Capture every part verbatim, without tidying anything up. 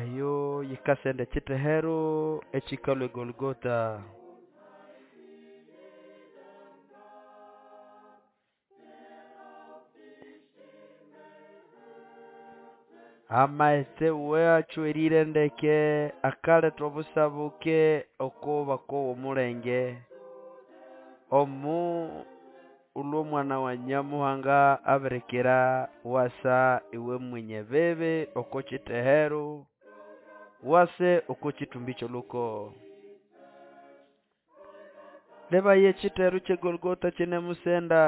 Eyo yikasenda ekithehero ekikalhwa eGolgotha. Amaghetse watswerire ndeke akaletha obusabuke oko bakowa omulenge. Omughulhu omwana wa Nyamuhanga abirikira wasa iwe mwenye bibi oko kyithehero, wase oko kyithumbi kyolhuko. Lebaya ekyithehero kye Golgotha kyine musenda,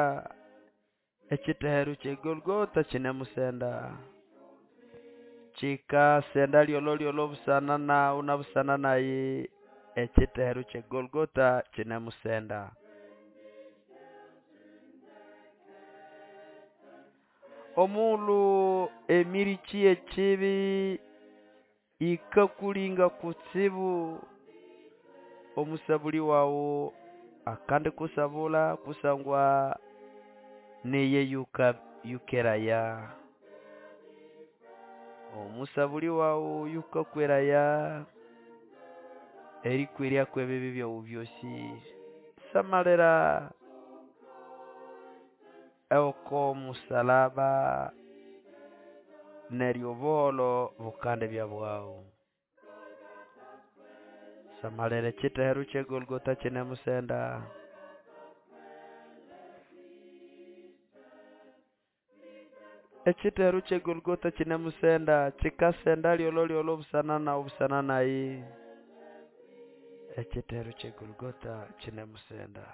ekyithehero kye Golgotha kyine musenda. Kyikasenda lyolholyolho busana naghu na busana nayi, ekyithehero kye Golgotha kyine musenda. Omughulhu emirikyi yekyibi yikakulinga kutsibu, omusabulhi waghu akandikusabulha kusangwa niye yuka yukeraya. Omusabulhi waghu yukakweraya erikwerya kwebibi byaghu byosi. Samalira oko musalaba neryo obuholho bukandibya bwaghu. Samalira ekyithehero kye Golgotha kyine musenda. Ekyithehero kye Golgotha kyine musenda, kyikasenda lyolholyolho busana naghu busana nayi. Ekyithehero kye Golgotha kyine musenda.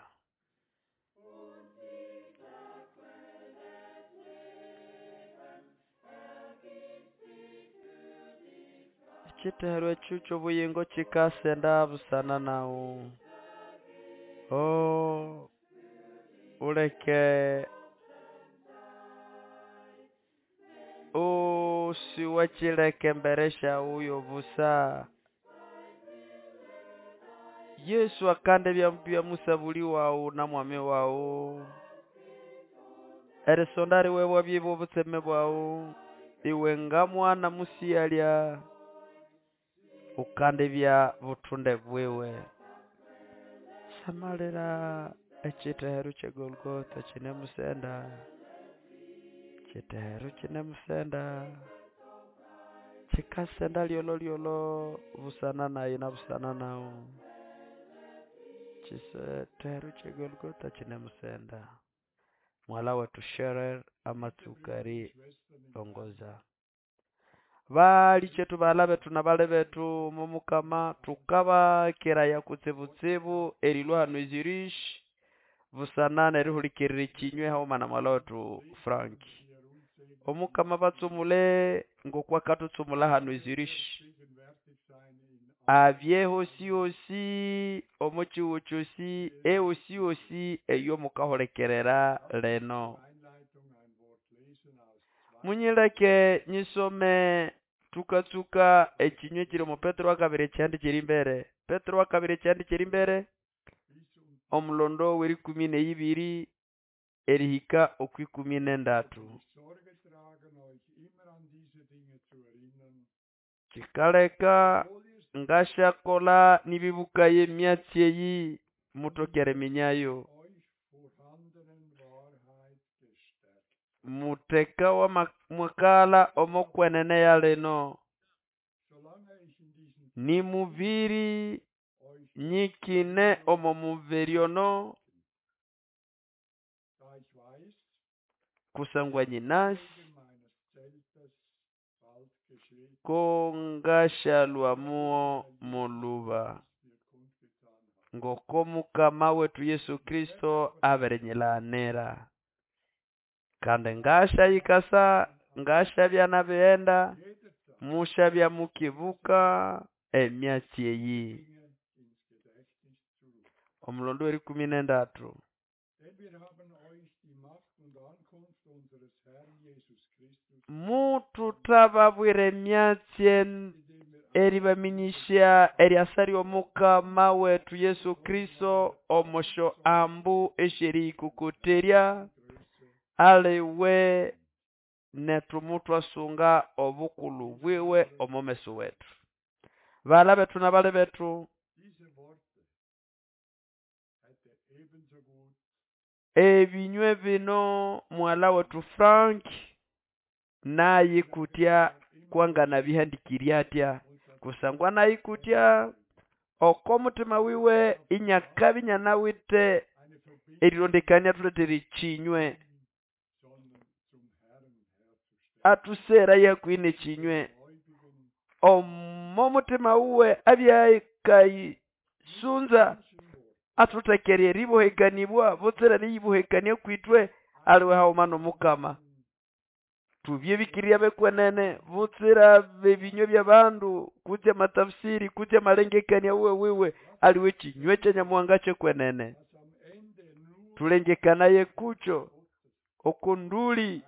Ekyithehero ekyo kyobuyingo kyikasenda busana naghu. Oh, uleke usiwakyileka embere syaghu yobusa. Yesu akandibya bya musabulhi waghu na mwami waghu. Erisonda liwe bwabya bwobutseme bwaghu. Iwe nga mwana musighalya ukandibya buthunde bwiwe. Samalira ekyithehero kye Golgotha kyine musenda. Ekyithehero kyine musenda. Kyikasenda lyolholyolho busana nayi na busana naghu. Ekyithehero kye Golgotha kyine musenda. Mughalha wethu Sheryl amatsuka erirongoza. Balikyetu baghalha bethu nabali bethu omo mukama thukabakeraya kutsibutsibu erilhwa hano e Zurich busana nerihulikirira ekinywe haghuma na mughalha wethu Frank. Omukama abatsumule ngoko akathutsumula hano e Zurich. Abye hosihosi omo kyihugho kyosi ehosihosi eyo mukahulikirira lino. Munyileke nyisome tukatsuka ekinywe ekiri omo Petero wakabiri ekyihanda ekyerimbere. Petero wakabiri ekyihanda ekyerimbere omulondo werikumi neyibiri erihika okwikumi nendatu. Sorge tragen, euch immer an diese Dinge zu erinnern, Kyikaleka obwohl ihr sie ngasyakolha nibibukaye emyatsi eyi muthoke eriminyayo. euch vorhandenen Wahrheit gestärkt. Mutheka wama mwakaghalha omo kwenene ya lino. Solange ich in diesem Nimubiri euch nyikine omo mubiri ono da ich weiß, kusangwa nyinasi wegen meines Zeltes bald geschieht, ko ngashalhwa mugho molhuba. was mir kundgetan hat. Ngoko mukama wethu Yesu Kristo abirinyilaghana. Kandi ngasyayikasa ngasyabya nabighenda Jederzeit musyabya mukibuka emyatsi eyi. Dinge ins Gedächtnis zu rufen. Omulondo werikumi nendatu. Denn wir haben euch die Macht und Ankunft unseres Herrn Jesus Christus, Mututhababwira emyatsi en- indem wir eribaminyisya eryasa ly'omukama wethu Yesu Kristo omosyo ambu esyeriyikokoterya Größe aliwe nethu mutwasunga obukulu bwiwe omo meso wetu. Bala bethu na bali bethu, Diese Worte hätte ebenso gut ebinywe bino mwala wetu Frank nayikutya kwangana bihandikirya atya kusangwa nayikutya oko mutima wiwe inyakabi nyanawite eine Verbindung erilondekania thulethere ekinywe sondern zum Herrn herzustellen. atusera yakwine ekinywe Gläubigen omo mutima wuwe abyakayisunza manchen Wort athuthekerya eribohekanibwa butsira eriyibohekania kwitwe aliwe haghuma n'omukama. Tubye bikirya bekwenene butsira bebinywe by'abandu kutse amatafsiri kutse amalengekania wuwe wiwe aliwe kinywe kya Nyamuhanga kyekwenene. dass am Ende nur Tulengekanaye kucho Gottes okunduli seine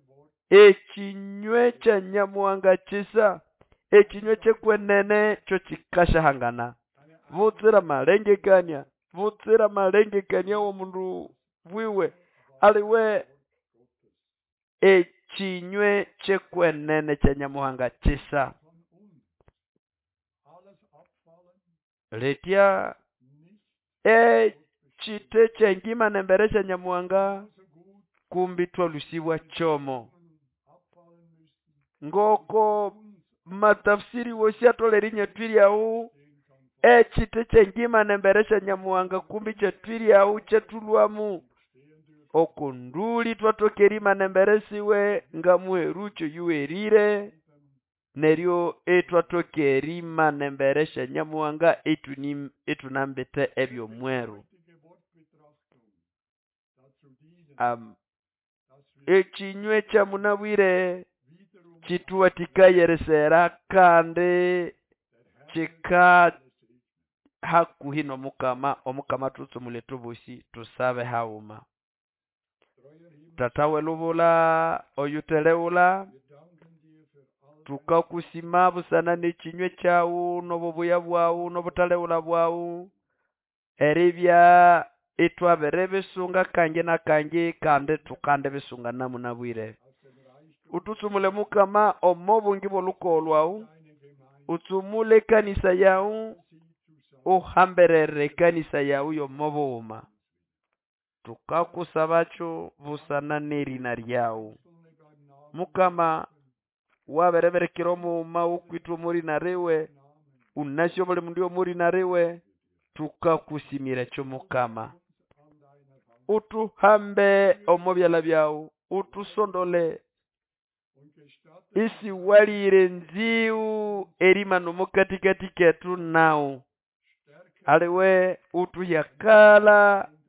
Worte ekinywe kya Nyamuhanga kisa ekinywe kyekwenene kyo kikashahangana eine butsira malengekania butsira malengekania w'omundu bwiwe aliwe Wort Gottes ekinywe kyekwenene kya Nyamuhanga kisa. von uns alles abfallen, Letya nicht ekite kyengima nembere kya Nyamuhanga genauso gut kumbi twalusibwa kyomo abfallen müssen, ngoko uns matafsiri wosi atolere inyatwiryawu stehen kann vor ekite kyengima nembere kya Nyamuhanga kumbi kyatwiryawu kyatulwamu stehen dürfen. okunduli twatoka erima nembere siwe nga muherucho yuwerire neryo etwatoka erima nembere sya Nyamuhanga etuni etunambite ebyomweru. Heutige Wortbetrachtung dazu dienen, Am, dass wir ekinywe kya munabwire wiederum kituwatikayeresera kandi der Herr kika alle segne. hakuhi n'omukama omukama tutsumule tubusi tusabe haghuma. Treuer Himmel, Tata welubula oyuteleghula wir danken dir für all dein tukakusima busana n'ekinywe kyawu n'obubuya bwawu n'obutaleghula bwawu eribya itwabere bisunga kangi na kangi kandi tukande bisunga namunabwire. aus dem Reichtum Ututsumule mukama omo bungi bw'olukogo lwawu deine Gemeinde, utsumule ekanisa yawu sie zusammen uhamberere ekanisa yawu y'omo bughuma. Tukakusabakyo busana n'erina lyawu. einzelne beim Namen Mukama rufen, wabereberekera omughuma wukwithe omurina riwe Namen unasyo buli mundu omurina riwe tukakusimira ekyo mukama. uns an deiner Hand Utuhambe omo byalha byawu utusondole und gestatte isiwalire nziwu erimana omo katikati kethu nawu stärke aliwe utuhyakala und entgegen.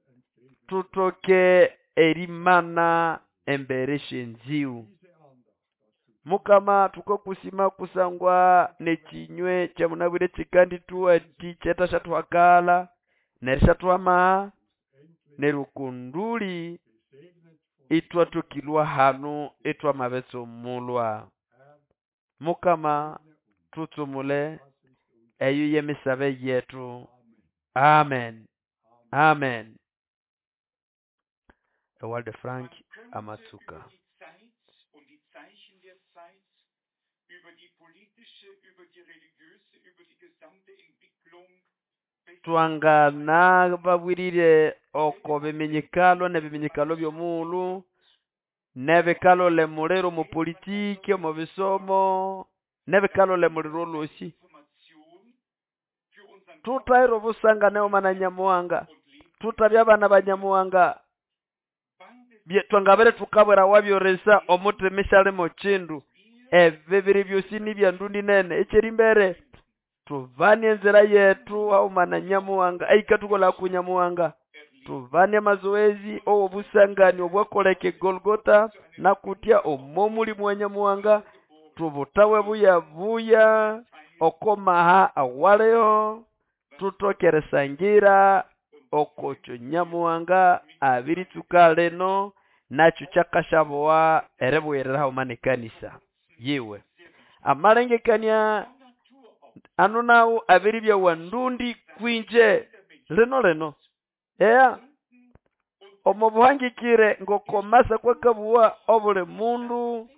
tutoke erimana embere syenziwu. Diese Andacht dazu Mukama tukakusima kusangwa n'ekinywe kyamunabwire kikandithuwathi kyetashathuhakala nerishathuhamaha endlich neryo kunduli gesegnet von itwathukilwa hanu itwamabitsumulwa. Herr, Mukama segne uns. tutsumule Das ist unser eyo y'emisabe yetu. Amen. Amen. Amen. Ewalde Frank Man könnte amatsuka. über die Zeit und die Zeichen der Zeit, über die politische, über die religiöse, über die gesamte Entwicklung besser Twangana babwirire oko biminyikalo n'ebiminyikalo by'omughulhu n'ebikalole muliro omu politiki omu bisomo n'ebikalole muliro olwosi. Information für unseren Tutahira obusangane haghuma na Nyamuhanga und Leben. tutabya abana ba Nyamuhanga Beides bye- twangabere tukabwera wabyoresa omuthima isyalimo kindu ebi biri byosi ni ndundi nene ekyerimbere tubane enzira yethu haghuma na Nyamuhanga eikathukolha ku Nyamuhanga erlebt tubane amazoezi ow'obusangani obwakoleka e Golgotha nakutya omo mulimu wa Nyamuhanga tubutawe buya buya okomaha awaliho tutokeresangira okokyo Nyamuhanga abiritsuka lino nakyo kyakasyabowa eribuyirira haghuma n'ekanisa yiwe. Amalengekania von Natur aus anu nawu abiribya wa ndundi kwinje lino lino eya omo buhangikire ngokomasa kwakabuwa obuli mundu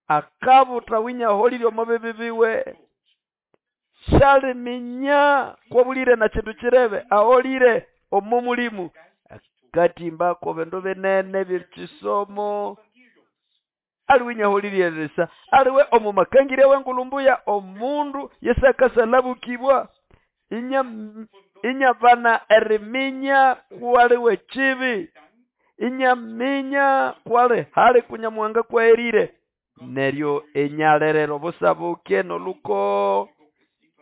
Akabuta winyaholile omo bibi biwe. Shaliminya kwabulire na kindu kirebe aholire omo mulimu. Katimba ko bindu binene byekisomo. Aliwinyaholile resa. Aliwe omo makangire wengulumbuya omundu yesakasalabukibwa. Inya inyabana eriminya kwaliwe kibi. Inyaminya kwale hali kunyamuhanga kwaerire. Neryo enyalerero busabuke noluko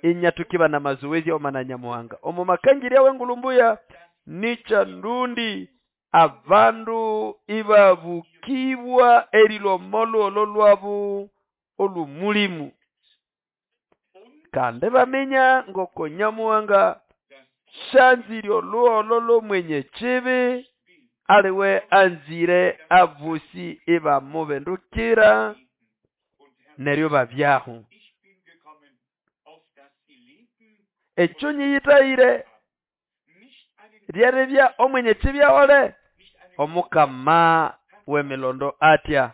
inyatukiba na mazoezi omana nyamuhanga. Omo makangire wengulumbuya nicha ndundi abandu ibabukibwa erilomolo ololwabu olumulimu. Kandi baminya ngoko nyamuhanga shanzire oluololo mwenye kibi aliwe anzire abusi ibamubendukira neryo babyaho. Ekyo nyiyitayire ryerebya omwenye kibi ahole omukama w'emilondo atya.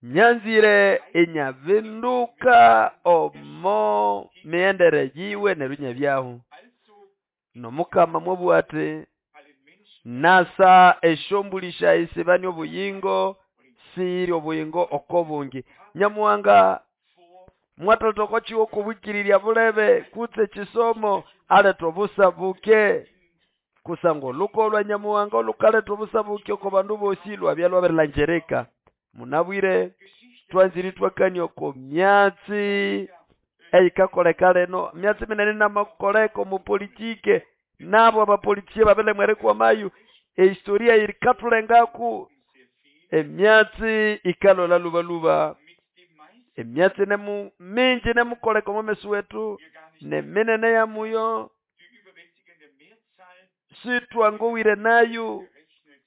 Nyanzire enyavinduka omo miendere yiwe neryo nyabyaho. Nomukama mwobwate nasa eshombulisha isibani obuyingo siri obuyingo okobungi. Nyamuhanga mwatotoko chiwo kubukiriria bulebe kutse chisomo aletwa busabuke kusango luko lwa nyamuhanga olukaletwa busabuke oko bandu bosi lwabyalwa berlanjereka. Munabwire twanziri twakani oko myatsi eyikakoleka leno myatsi minene namakoleko mu politike nabo abapolitie babele mwereko mayu ehistoria irikatulengaku emyatsi ikalola lubaluba emyatsi nemu mingi nemukoleko momesu wetu neminene ya muyo sitwangowire nayo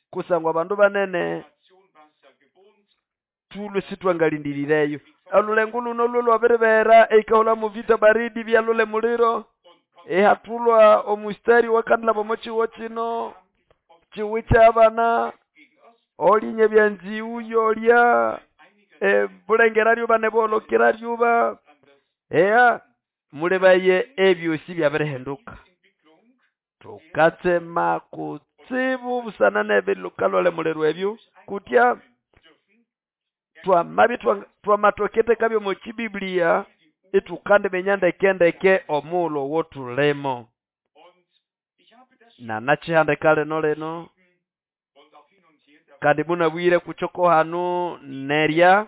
kusangwa abandu banene tulwe sitwangalindirireyo. Olulengo luno lwabiribera eikahola mu vita baridi byalole muliro ehatulwa omustari wakandila bomochiwo kino chiwicha abana olinye byanziu yolya ebulengera lyuba nebolokera lyuba eya mulebaye ebyosi byabirihinduka. Tukatsema kutsibu busana nebilukalole muliro ebyo kutya twamabi twamatokete kabyo mu kibiblia itukande menyandekendeke omulo wotulemo. Na nachihande kale no leno kandi munabwire kuchoko hanu nerya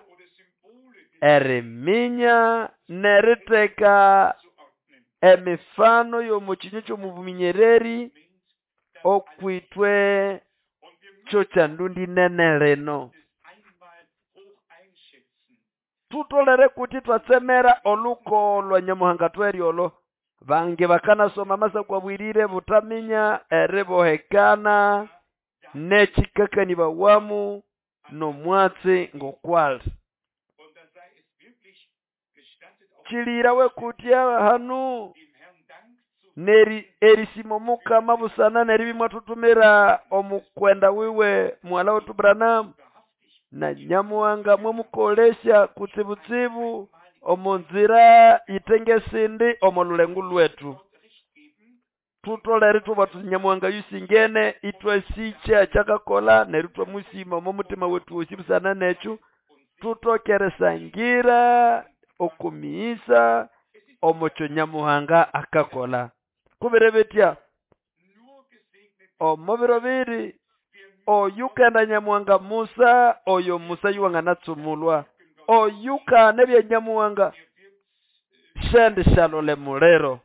eriminya neriteka emifano y'omukinyo ky'omubuminyereri okwitwe kyo kyandundi nene leno. Tutolere kuti twatsemera oluko lwa nyamuhanga tweryolo bange bakanasoma masa kwabwirire butaminya eribohekana nekikakani bawamu nomwatsi ngokwali. Chilirawe kutya hanu neri erisimo mukama busana neribimwatutumira omukwenda wiwe mwala wetu Branham na nyamuhanga mwemukolesha kutsibutsibu omunzira itengesindi omolulengu lwetu. Tutolere tuba nyamuhanga yusingene itwesicha chakakola nerutwa musima omutima wetu osibusana nechu tutokeresangira okumiisa omucho nyamuhanga akakola. Kubirebetya omubiro biri oyukenda nyamuhanga Musa oyo Musa yuwanga natsumulwa oyuka nebya nyamuhanga sendi shalole mulero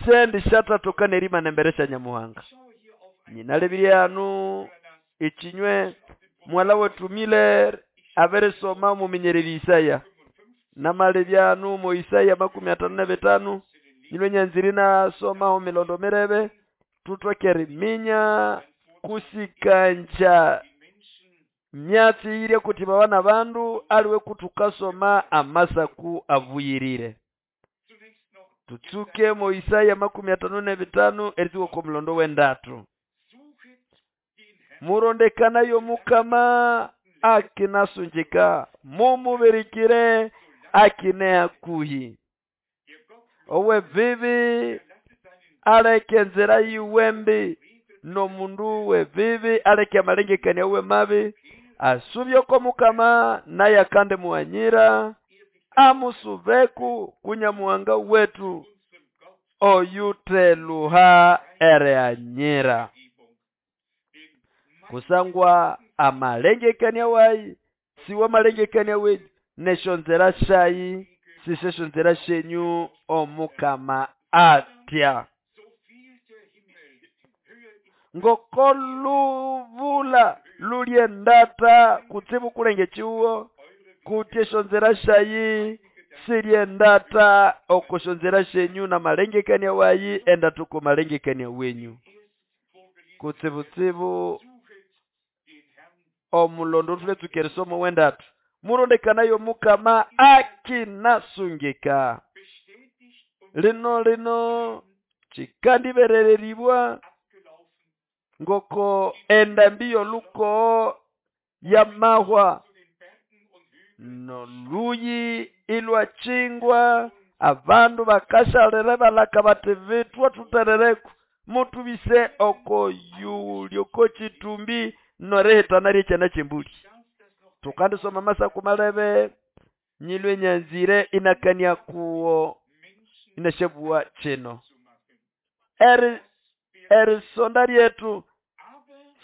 sendi shatatoka nerima nemberesha nyamuhanga. Nyinalebiryanu ichinywe mwala wetu Miller aberesoma muminyereri Isaya namalebyanu mu Isaya makumi atano na betano nyinwe nyanziri nasoma omilondo mirebe tutokere minya kusikanja myatsi ire kuti bawana bandu aliwe kutukasoma amasaku avuyirire. Tutsuke mu Isaya makumi atano na bitano erituko ku mulondo wendatu. Murondekana yo mukama akinasungika mumubirikire akine hakuhi. Owebibi aleke enzira yiwe mbi, n'omundu webibi aleke amalengekania we mabi, asubye oko Mukama naye akande muhanyira, amusubeku kunyamuhanga wetu oyuteluha erehanyira. Kusangwa amalengekania wayi siwo malengekania wenyu, neshonzera shayi siseshonzera shenyu Omukama atya. Ngoko luvula lulyendata kutsibu kulenge chiwo kuti eshonzera shayi silyendata okoshonzera shenyu na malengekania wayi endata oko malengekania wenyu. Kutsibutsibu omulondo tuletsuka erisomo wendatu murondekanayo Mukama akinasungika. Lino lino chikandiberereribwa ngoko endambi yoluko yamahwa noluyi ilwachingwa abandu bakashalere balaka bati bitwa tuterereku mutubise oko yulyoko chitumbi norehitana ryekyana kyembuli. Tukandisoma masaku malebe nyilwe nyanzire inakania kuwo inashabuwa chino eri erisonda ryetu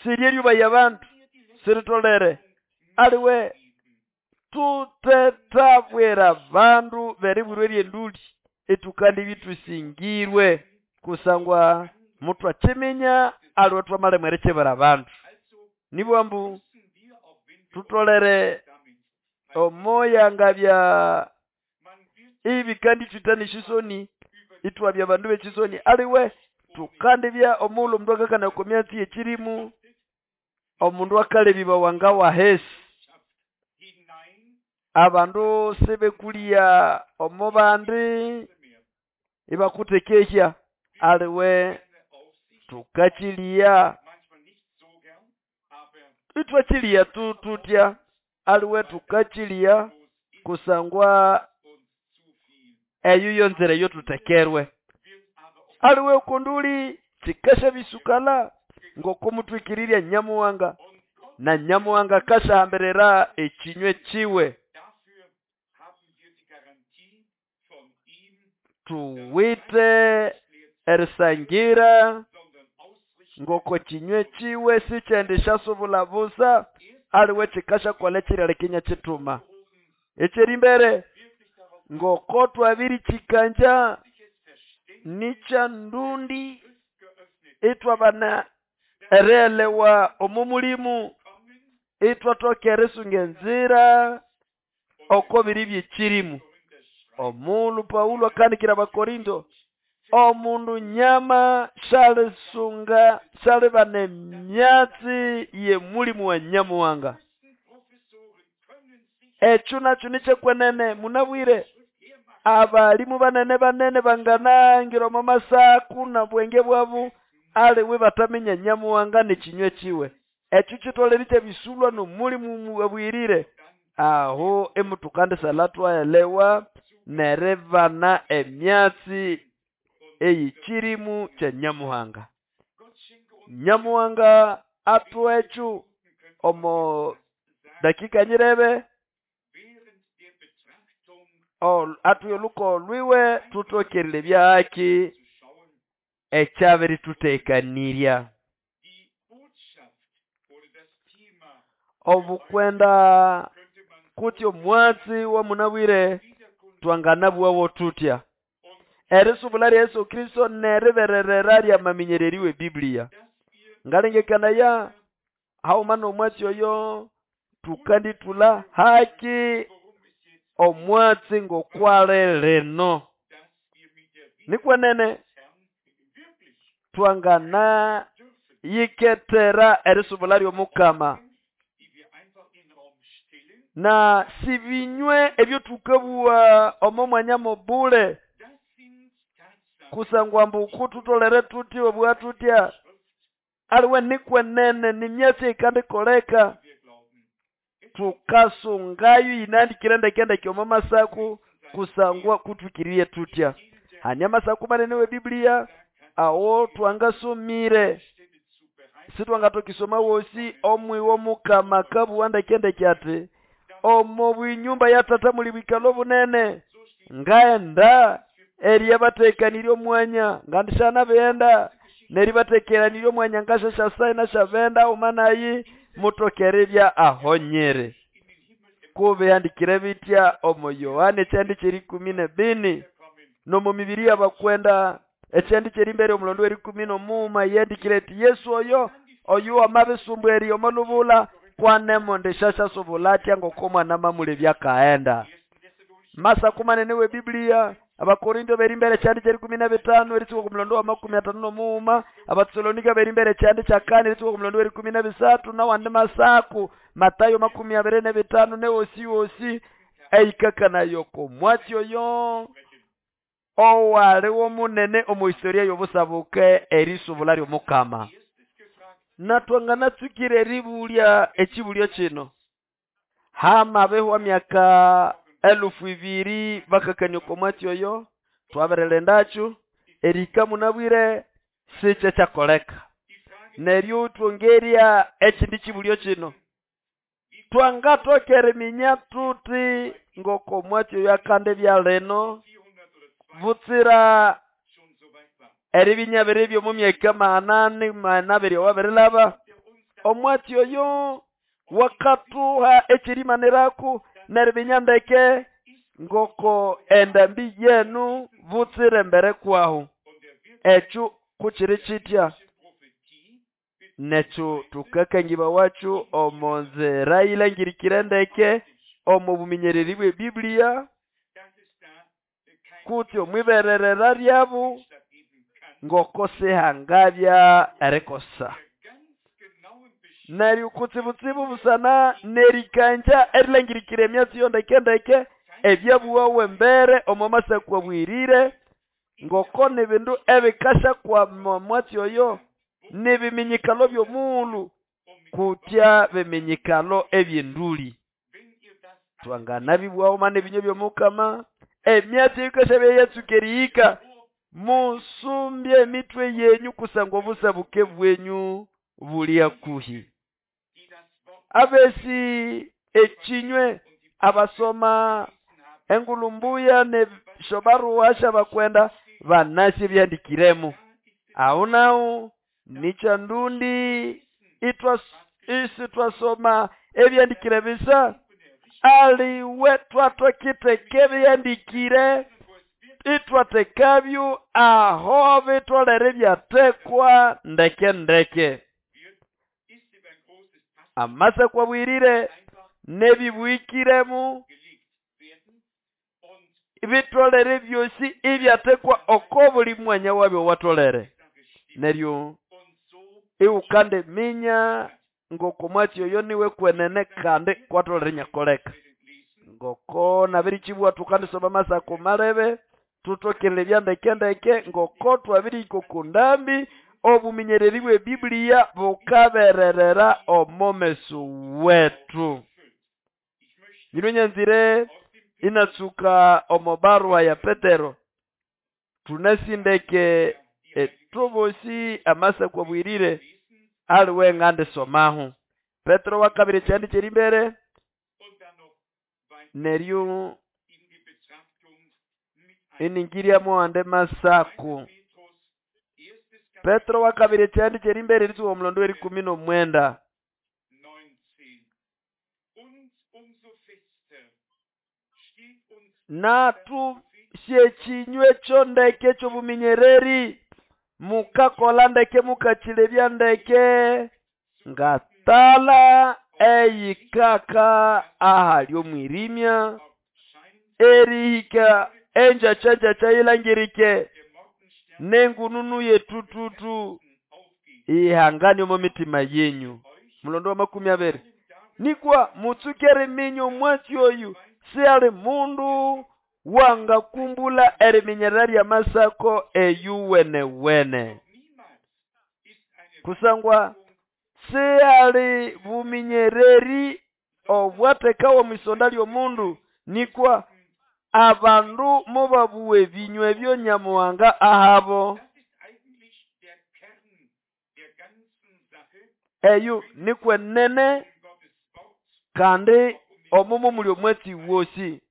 siryeryoba yabandu siritolere aliwe tutetabwera bandu beribwirwe ryenduli etukandi bitusingirwe kusangwa muthu akiminya aliwe twamale mwerekyebera bandu nibwambu tutolere omoya ngabya ibi kandi twitanishisoni itwabya bandu bechisoni aliwe tukandibya omulo omundu akakana okomyatsi yekirimu omundu akalebiba wanga wahesi abandu sibekulia omubandi ibakutekehya aliwe tukachilia itwachilia tu tutya aliwe tukachilia kusangwa eyo yonzere yo tutekerwe aliwe kunduli chikasha bisukala ngokumutwikirirya nyamuwanga na nyamuwanga kashahamberera ekinywe chiwe. Tuwite erisangira ngoko kinywe chiwe sikyendisha subula busa aliwe chikasha kwale chirale kinya chituma ekyeri mbere ngoko twabiri chikanja nicha ndundi itwabana erelewa omumulimu itwatokere sungenzira oko biri byekirimu. Omulu Paulo akandikira Abakorinto omundu nyama shalisunga shalibana emyatsi ye mulimu wa nyamuwanga. Ekyo nakyo nikyekwenene munabwire abalimu banene banene banganangira omu masaku na bwenge bwabu aliwe bataminya nyamuwanga nekinywe kiwe. Ekyo kitolere kyebisulwa n'omulimu wabwirire aho emutukandisala twaelewa nerevana emyatsi eyikirimu kya nyamuhanga. Nyamuhanga atwechu omo dakika nyirebe atuye oluko lwiwe tutokerere byaki ekyabiri tutekanirya. Obukwenda kutyo mwatsi wa munabwire twanganabwawo tutya erisubula lya Yesu Kristo neribererera lyamaminyereriwe Biblia ngalengekana ya haumana omwatsi oyo tukanditula haki omwatsi ngokwale leno nikwenene twangana yiketera erisubula ly'Omukama na sibinywe ebyo tukabuwa omo mwanya mobule kusangwa mbu kututolere tuti obwa tutya aliwe nikwenene nimyatsi ikandikoleka Tukasungayo yinandikire ndekendeke omo masaku kusangwa kutwikiriye tutya. Hanya masaku manene we Biblia awo twangasomire sitwangatokisoma wosi omwiwo mukama kabuwa ndekendeke ati omo bwinyumba ya tata muli bwikalo bunene ngaenda eriyabatekanirye omwanya ngandishana benda neribatekeranirye omwanya ngashashasai nashabenda umanayi mutokerebya ahonyere. Kubihandikire bitya omo Yohana ekyandi kyerikumi nebini nomo mibiri y'abakwenda ekyandi kyerimbere omulondo werikumi nomuuma yandikire ati Yesu oyo oyo amabisumbu eri omolubula kwanemo ndishashasubula atya ng'okomwana mamulebya kaenda. Masaku manene we Biblia Abakorinto berimbere kyandi kyerikumi na bitano eritsuka ku mulondo wa makumi atano nomuuma Abatesalonika berimbere kyandi kyakane eritsuka ku mulondo werikumi na bisatu nawandi masaku Matayo makumi abiri na bitano newosi wosi eikakanayo komwatsi oyo owaliwo munene omu historia y'obusabuke erisubula ly'omukama. Natwanganatsukire eribulya ekibulyo kino hamabehwa myaka elufu ibiri bakakania komwatsi oyo twaberelendacho erika munabwire sikye kyakoleka. Neryo twongerya ekindi kibulyo kino twangatokera eminya tuti ng'okomwatsi oyo akande byaleno butsira eribinyabere byomu myaka manane manabiri owabirilaba omwatsi oyo wakatuha ekirimaniraku neribinyandeke ngoko endambi yenu butsire mbere kwahu ekyo kukiri kitya. Nekyo tukakangiba wacu omo nzira yilangirikire ndeke omo buminyereri bwe Biblia kutsi omwibererera lyabu ngoko sihangabya erikosa. Neryo kutsibutsibu busana nerikanja erilangirikire emyatsi yo ndekendeke ebyabuwawe mbere omo masaku abwirire ngoko nibindu ebikasha kwa mwatsi oyo nibiminyikalo by'omuulu kutya biminyikalo eby'enduli. Twanganabibwaho mane ebinyo by'omukama emyatsi ekasha byeyatsuka erihika musumbye emitwe yenyu kusangwa obusabuke bwenyu buli hakuhi. Abesi ekinywe abasoma engulumbuya ne shobaruwa shabakwenda banasi byandikiremu aho naho nicha ndundi itwa isi twasoma ebyandikire bisa aliwe twatokiteke byandikire itwatekabyo aho bitolere byatekwa ndeke ndeke. Amasa kwabwirire nebibwikiremu bitolere byosi ibyatekwa oko buli mwanya wabyo watolere. Neryo iwukande minya ngoko mwatsi oyo niwe kwenene kandi kwatolere nyakoleka. Ngoko nabirichibwa tukandisoma masako malebe tutokele byandekendeke ngoko twabiriko kundambi obuminyereri bwe Biblia bukabererera omomeso wetu. Nyinonyanzire inatsuka omobarua ya Petero tunasindeke etubosi amasa kwabwirire aliwe ngande somahu. Petero wa kabiri kyandi kyerimbere neryo iningiria muande masaku. Petero wa kabiri kyandi kyerimbere ritsuka omulondo werikumi nomwenda. Natu syekinywe kyo ndeke kyobuminyereri mukakola ndeke mukachilebya ndeke ngatala eyikaka ahali omwirimya erihika enjacha yilangirike nengununu yetututu ihangani omu mitima yenyu. Mulondo wa makumi abiri nikwa mutsukere minyo mwatsi oyu siali mundu wangakumbula eriminyerera lya masako eyuwenewene. Kusangwa siali buminyereri Obwatekawa omwisonda ly'omundu nikwa abandu mubabuwa ebinywa ebyo Nyamuhanga ahabo. Eyo nikwenene kandi omumo muli omwatsi wosi.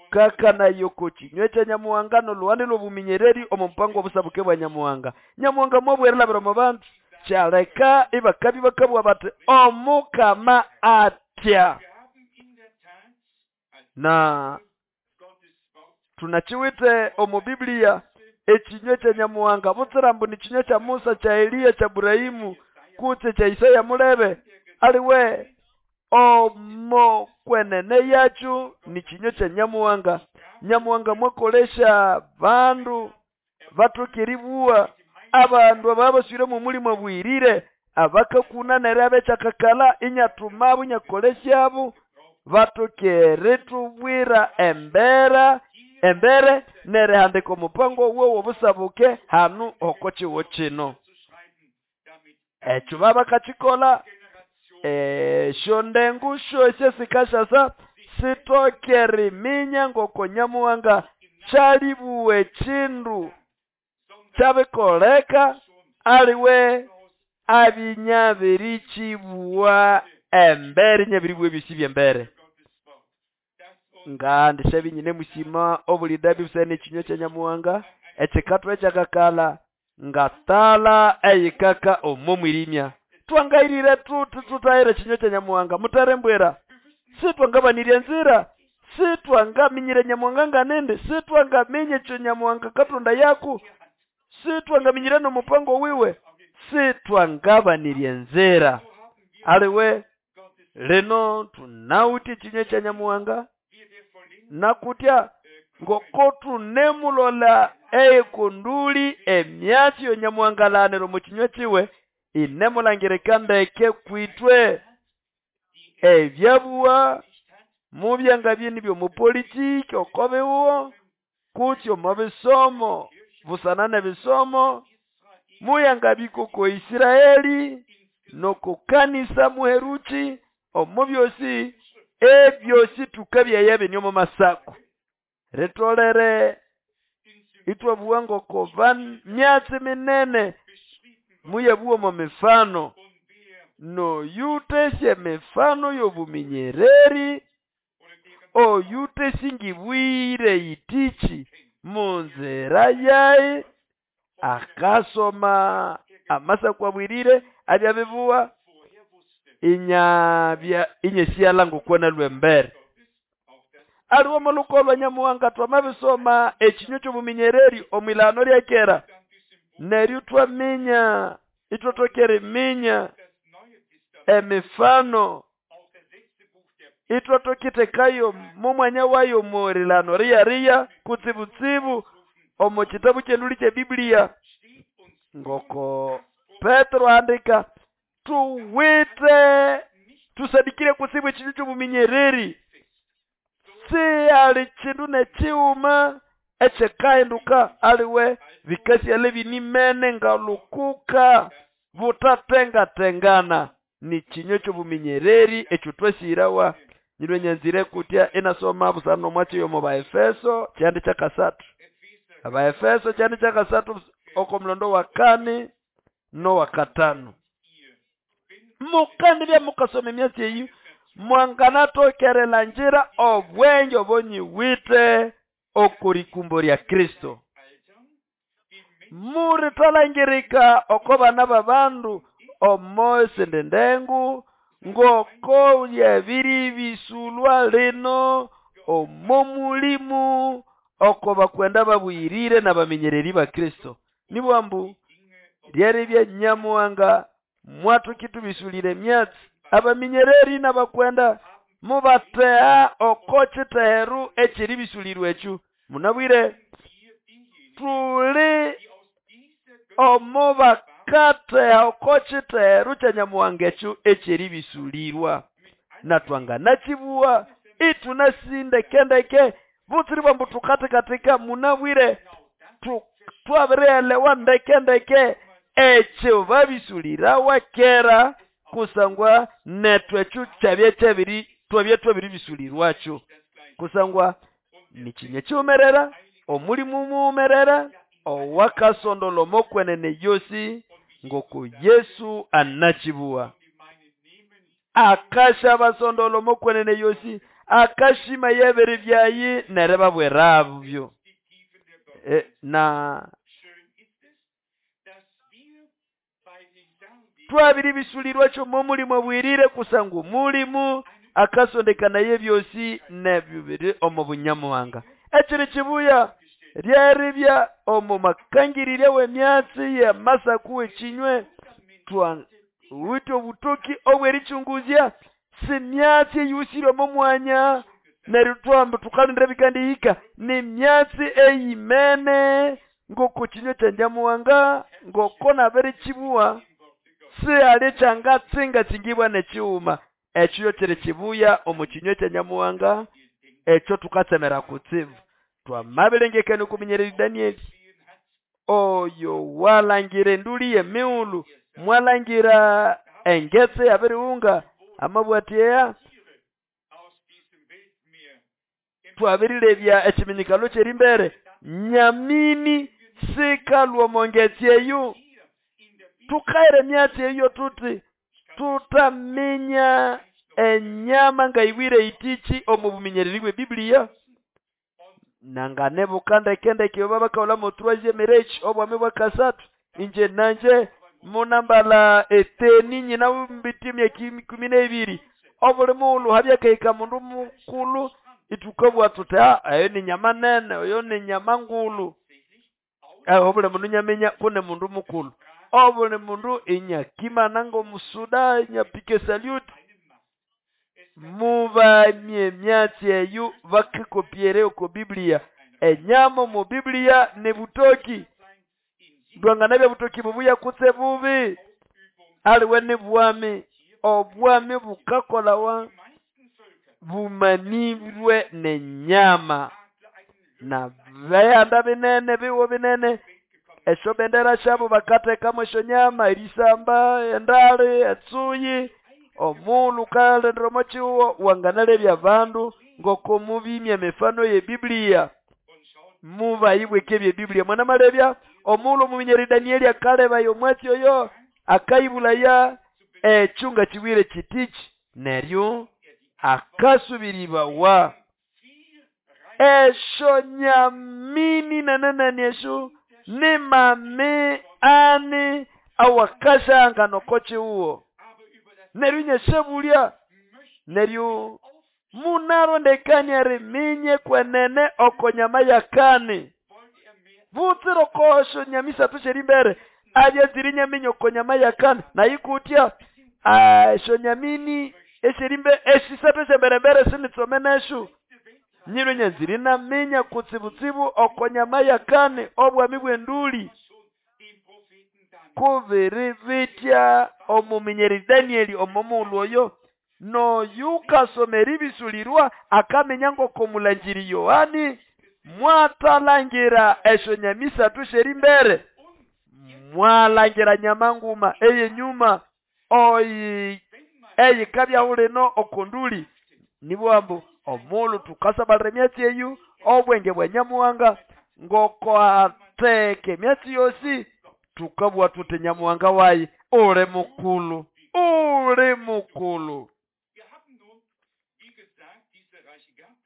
Kakana yoko kinywa kya Nyamuhanga n'oluhande lw'obuminyereri omu mupango w'obusabuke bwa Nyamuhanga. Nyamuhanga mwabwerelabira omu bandu kyaleka ibakabi bakabugha bati Omukama atya. Na tunachiwite omu Biblia ekinywa kya Nyamuhanga butsira mbu ni kinywa kya Musa, kya Eliya, kya Burahimu kutse kya Isaya mulebe aliwe omo kwenene yacu ni kinywa kya Nyamuhanga. Nyamuhanga mwakolesha bandu batukiribuwa abandu ababaswire mu mulimo bwirire abakakuna nere abechakakala inyatumabo inyakoleshabo batukeretubwira embera embere nere handika omupango wo wobusabuke hanu okochiwo kino. Ekyo babakakikola eshondengu sho esyesikashasa sitokeriminya ngoko Nyamuhanga kyalibuwe kindu kyabikoleka aliwe abinyabirikibuwa embere nyabiribuwe byosi byembere. Ngandi shebinyine musima obulidabi busene ekinywa kya Nyamuhanga ekikatwa ekyakakala ngatala eyikaka omo mwirimya. Twangairire tuti tutahira ekinywa kya Nyamuhanga mutarembwera. Sitwangabanirye nzira, sitwangaminyire Nyamuhanga nganende, sitwangamenye ekyo Nyamuhanga Katonda yaku, sitwangaminyire n'omupango wiwe, sitwangabanirye nzira. Aliwe lino tunawuti ekinywa kya Nyamuhanga nakutya ngoko tunemulola eyikunduli emyatsi yo Nyamuhanga laniro mu kinywa kiwe inemulangirika ndeke kwitwe ebyabuwa mubyanga byeni byomupolitiki okobiwo kutyo mu bisomo busana nebisomo muyanga bikoko Isiraeli nokukanisa muheruchi omu byosi ebyosi tukabyayabe nyomo masako retolere itwabuwa ngoko myatsi minene muyabuwa mu mifano no yutesye mifano y'obuminyereri oyutesingibwire itichi munzira yayi akasoma amasako abwirire abyabibuwa inyabya inyesiala ngokwana lwembere. Aliwo mulukolwa Nyamuhanga twamabisoma ekinywa ky'obuminyereri omwilano lyakera neryo twaminya itwatokere minya emifano itwatokitekayo mumwanya wayo murilano riya kutsibutsibu omu kitabu kyenduli kya Biblia ngoko Petro andika tuwite tusadikire kutsibu ekinywa ky'obuminyereri si ali kindu nekiwuma ekyekahinduka aliwe bikasiale binimene ngalukuka butatengatengana ni kinywa ky'obuminyereri ekyo twasirawa. Nyirwe nyanzire kutya inasoma busana omwatsi yomo Baefeso kyandi kyakasatu. Abaefeso kyandi kyakasatu oko mulondo wa kane no wa katano. Mukandi bya mukasoma emyatsi eyi mwanganatokerela njira obwenge obonyiwite okurikumbo lya Kristo. Murithalangirika oko bana babandu omo sendendengu ngoko lyabiri bisulwa lino omo mulimu oko bakwenda babwirire n'abamenyereri ba Kristo. Nibwambu lyari bya Nyamuhanga mwatukitu bisulire myatsi abamenyereri n'abakwenda mubatea oko kiteheru ekiri bisulirwe ekyo. Munabwire tuli omo bakateha oko kiteheru kya Nyamuhanga ekyo ekiri bisulirwa natwanganakibuwa itunasindekendeke butsiri bwambu tukatikatika. Munabwire twabirielewa ndekendeke ekyo babisulirawa kera kusangwa nethu ekyo kyabya kyabiri twabya twabiribisulirwakyo kusangwa nikinywa kiwumerera omulimu muwumerera owakasondola omokwenene yosi ngoko Yesu anachibuwa akasha basondola omokwenene yosi akashima yebere byayi nerebabwerabyo e, na twabiri bisulirwakyo momulimu obwirire kusangwa omulimu akasondekana yebyosi nebyubiri omu bunyamuhanga ekiri kibuya ryeribya omu makangirire w'emyatsi y'amasaku ekinywe twa wito obutoki obwerichunguzya si myatsi eyusire omu mwanya neryo twamba tukalindira bikandihika ni myatsi eyimene ngoko kinywe kya Nyamuhanga ngoko nabirikibuwa si ali kyangatsingatsingibwa nekiwuma ekyo kiri kibuya omu kinywe kya Nyamuhanga ekyo tukatsemera kutsibu twamabilengekania okuminyerera Danieli oyo walangira enduli y'emighulhu mwalangira engetse yabirighunga amabwatyeya twabirilebya ekiminyikalo ky'erimbere nyamini sikalwa omo ngetsi eyo tukaira emyatsi eyo tuti tutaminya enyama ngayiwire itichi omu buminyereri bwe Biblia nanganebuka ndekendeke oba bakaola mu troisième reich obwami bwa kasatu inje nanje munambala eteni nyina mbiti myaka kumi n'ebiri obuli mughulhu habyakahika mundu mukulu itukabwa tuti eyo ni nyama nene oyo ni nyama ngulu obuli mundu nyaminya kune mundu mukulu obuli mundu inyakimana ng'omusuda inyapika salute mubamye emyatsi eyo bakikopyere oko Biblia enyama omu Biblia ni butoki ndwanganabya butoki bubuya kutse bubi aliwe ni bwami obwami bukakolawa bumanirwe nenyama na byanda binene biwo binene esyo bendera syabo bakathekamu esyo nyama erisamba endali etsuyi omulhu kalendera omo kihuho wanganalebya abandu ngoko mubimya emifano y'ebiblia mubayibweka ebyebiblia mwanamalebya omulhu omuminyeri Danieli akalebaya omwatsi oyo akayibulaya ekyo ngakibwire kitichi neryo akasubiribawa esyo nyamini nananani esyo ni mame ani awakashanga noko kihuho neryo nyesebulya neryo munarondekania riminye kwenene oko nyama yakani butsira okosho nyamisathu syerimbere abya ziri nyaminya oko nyama yakani nayikutya esyo nyamini esyerimbe esisathu esyemberembere sinitsomeneshu nyiro nyanziri naminya kutsibutsibu oko nyama yakani obwami bw'enduli kubiri bitya omuminyeri Danieli omo mughulhu oyo noyukasomera ebisulirwa akamenya ngoko mulanjiri Yohani mwathalangira esyo nyamisathu syerimbere mwalangira nyama nguma eyenyuma oyi eyikabyahu lino okonduli nibwambu omughulhu tukasabalira emyatsi eyu obwenge bwa Nyamuhanga ngoko atheka emyatsi yosi tukabugha tuthi Nyamuhanga wayi uli mukulu uli mukulu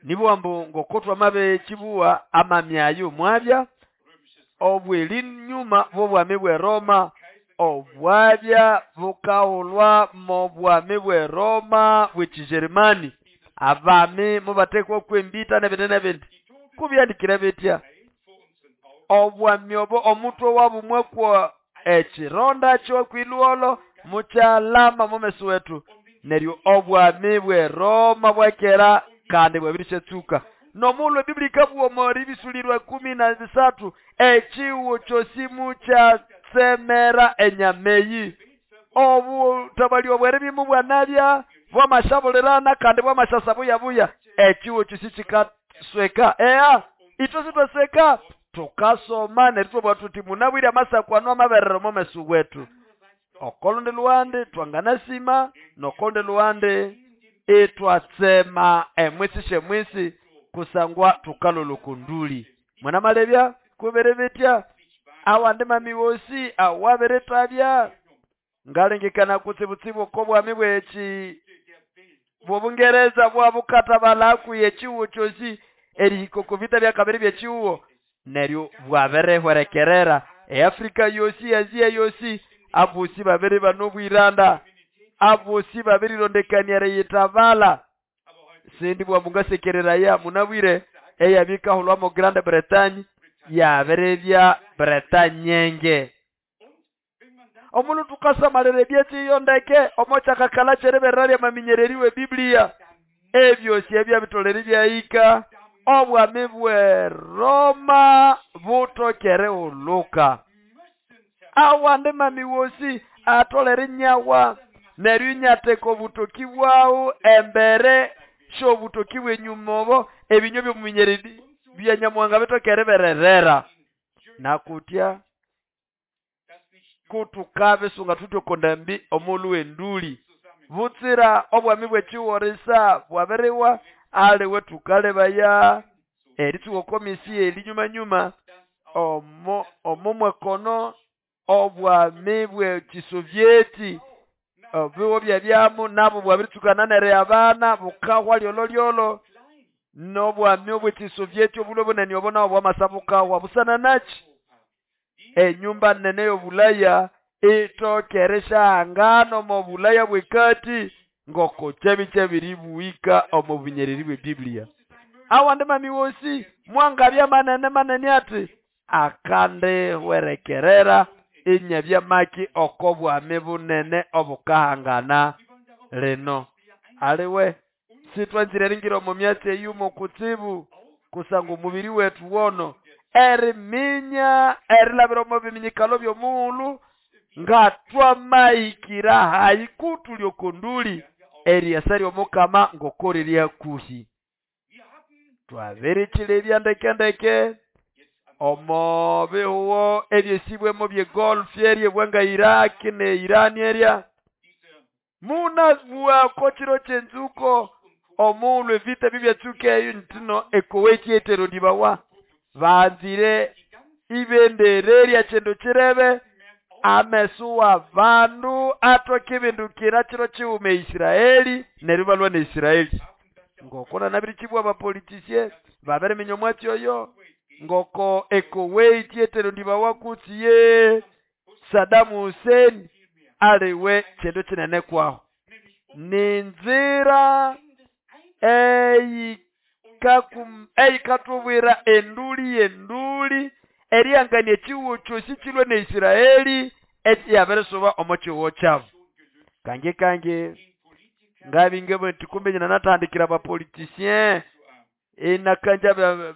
nibwambu ngoko twamabikibuwa amamyayo mwabya obweli nyuma bw'obwami bwe Roma obwabya bukaghulwa mu bwami bwe Roma bw'ekijerumani abami mubathekwa kwembita n'ebindi n'ebindi kubyandikire bitya obwami obo omutwe wabu mwakwa ekironda kyokwilwolo mukyalama mumeso wetu neryo obwami bwe Roma bwakera kandi bwabirisyatsuka nomughulhu ebiblia ikabugha omori ebisulirwa kumi na bisathu ekihuho kyosi mukyatsemera enyama eyi obutabali obweribya bwanabya bwamashabulirana kandi bwamashasa buyabuya ekihuho kyosi kikasweka ea ithwe sithwasweka tukasoma neryo thwabugha thuthi munabwire amasaku anu amaberera omo meso wetu Okolundi luhande twanganasima nokolundi luhande itwatsema emwisi syemwisi kusangwa tukalolwa oko nduli. Mwanamalebya kubiri bitya awandi mami wosi awabirithabya ngalengekana kutsibutsibu oko bwami bwekyi bw'Obungereza bwabukathabalha hakuhi ekyihugho kyosi erihika oko vita bya kabiri byekyihugho neryo bwabirihwerekerera eAfrika yosi, Asia yosi, abosi babiribana obwiranda, abosi babirirondekania eriyithabala. Sindi bwa mungasekereraya munabwire eyabikahulwamo Grande Bretagne yabiribya Bretanyenge. Omundu tukasamalira ebyetsi ndeke omo kyakakala kyeriberera lyamaminyereri we Biblia ebyosi ebyabitolere byahika obwami bwe Roma butokere uluka. Awandi mami wosi atolere nyawa neryo inyatheka obutoki bwawu embere syobutoki bw'enyuma obo ebinyo by'omuminyereri bya Nyamuhanga bitokere bererera. Nakutya kutukabisunga thuthi oko ndambi omulhu w'enduli butsira obwami bw'ekighorisa bwabiriwa aliwe tukalebaya eritsuka oko misi elinyumanyuma omo omo mwakono obwami bw'ekisovyeti obiwo byabyamu nabo bwabiritsukana neriyabana bukahwa lyolo lyolo n'obwami obw'ekisovyeti obulwe bunene obo nabo bwamasa bukahwa busana naki enyumba nene y'obulaya itokere syahangana omo bulaya bw'ekati ngoko kyabi kyabiribuhika omo bunyereri bwe Biblia. Awandi mami wosi mwangabya manene manene ati akandihwerekerera inyabya maki oko bwami bunene obukahangana lino. Aliwe sitwanzire eringira omo myatsi eyumo kutsibu kusanga omubiri wethu wono eriminya erilabira omo biminyikalo by'omughulhu ngatwamahikira hayi kutulya oko nduli eriyasa ly'omukama ngoko riri hakuhi. Twabirikyilebya ndekendeke omo bihugho ebyesibwemo bye Gulf eryebwa nga Iraq ne Iran erya munabugha kiro kyenzuko omughulhu evita bibyatsuka eyo ntino eKuwait yeterondibawa banzire ibendera erya kindu kirebe ameso wa bandu atoke ebindukira kiro kighuma eIsiraeli neryo balwa ne Isiraeli. Ngoko nanabirikibwa abapolitisye babiriminya omwatsi oyo ngoko eKuwait yeterondibawa kutsi ye Saddam Hussein aliwe kindu kinene kwaho. Ninzira eyikatubwira enduli yenduli erihangania ekyihugho kyosi kilwe ne Isiraeli ekyabirisuba omo kyihugho kyabu. Kange kange ngabinge nti kumbe nyina natandikira abapolitisien inakanja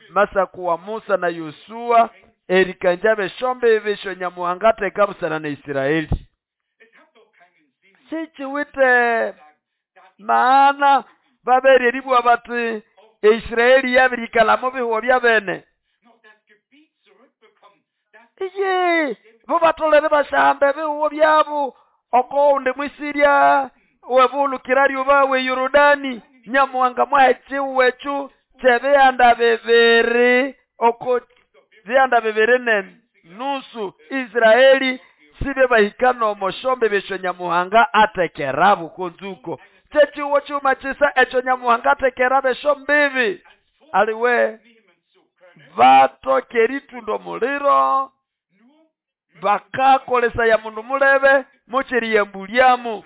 masaku wa Musa na Yosuwa erikanja beshombe ebisho Nyamuhanga atheka busana ne Isiraeli. Sikiwite maana babere eribugha bati eIsiraeli yabirikalha mu bihugho byabene. Iye bo batolere bashamba ebihugho byabu oko wundi mwisirya webulukira lyuba we Yorodani Nyamuhanga mwaha ekyihugho ekyo kyebihanda bibiri oko bihanda bibiri ne nusu Isiraeli sibe bahika nomo shombe besho Nyamuhanga atekerabo konzuko. Kyekyihugho kyuma kyisa ekyo Nyamuhanga atekerabo esyo mbibi aliwe batoke eritunda omuliro bakakolesaya mundu mulebe mukyeriyambulyamu.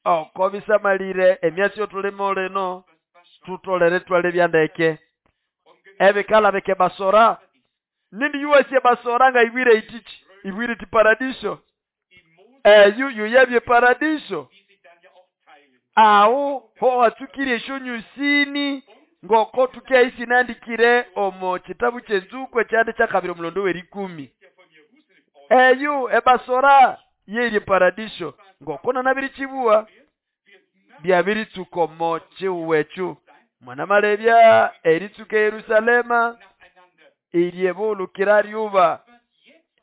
Oko bisamalire emyatsi yotulimo lino tutolere twalebya ndeke ebikala bike basora nindi yuwasye basora nga ibwire itichi ibwire ti paradiso eyu yuyabye paradiso awo ho watsukire esyonyusini ngoko tukeisi nandikire omo kitabu kyenzuko ekyande kyakabiri omulondo w'erikumi eyu ebasora yeri paradiso ngoko nanabirikibuwa byabiritsuka omo kyihugho ekyo. Mwanamalebya eritsuka Yerusalema iryebulukira lyuba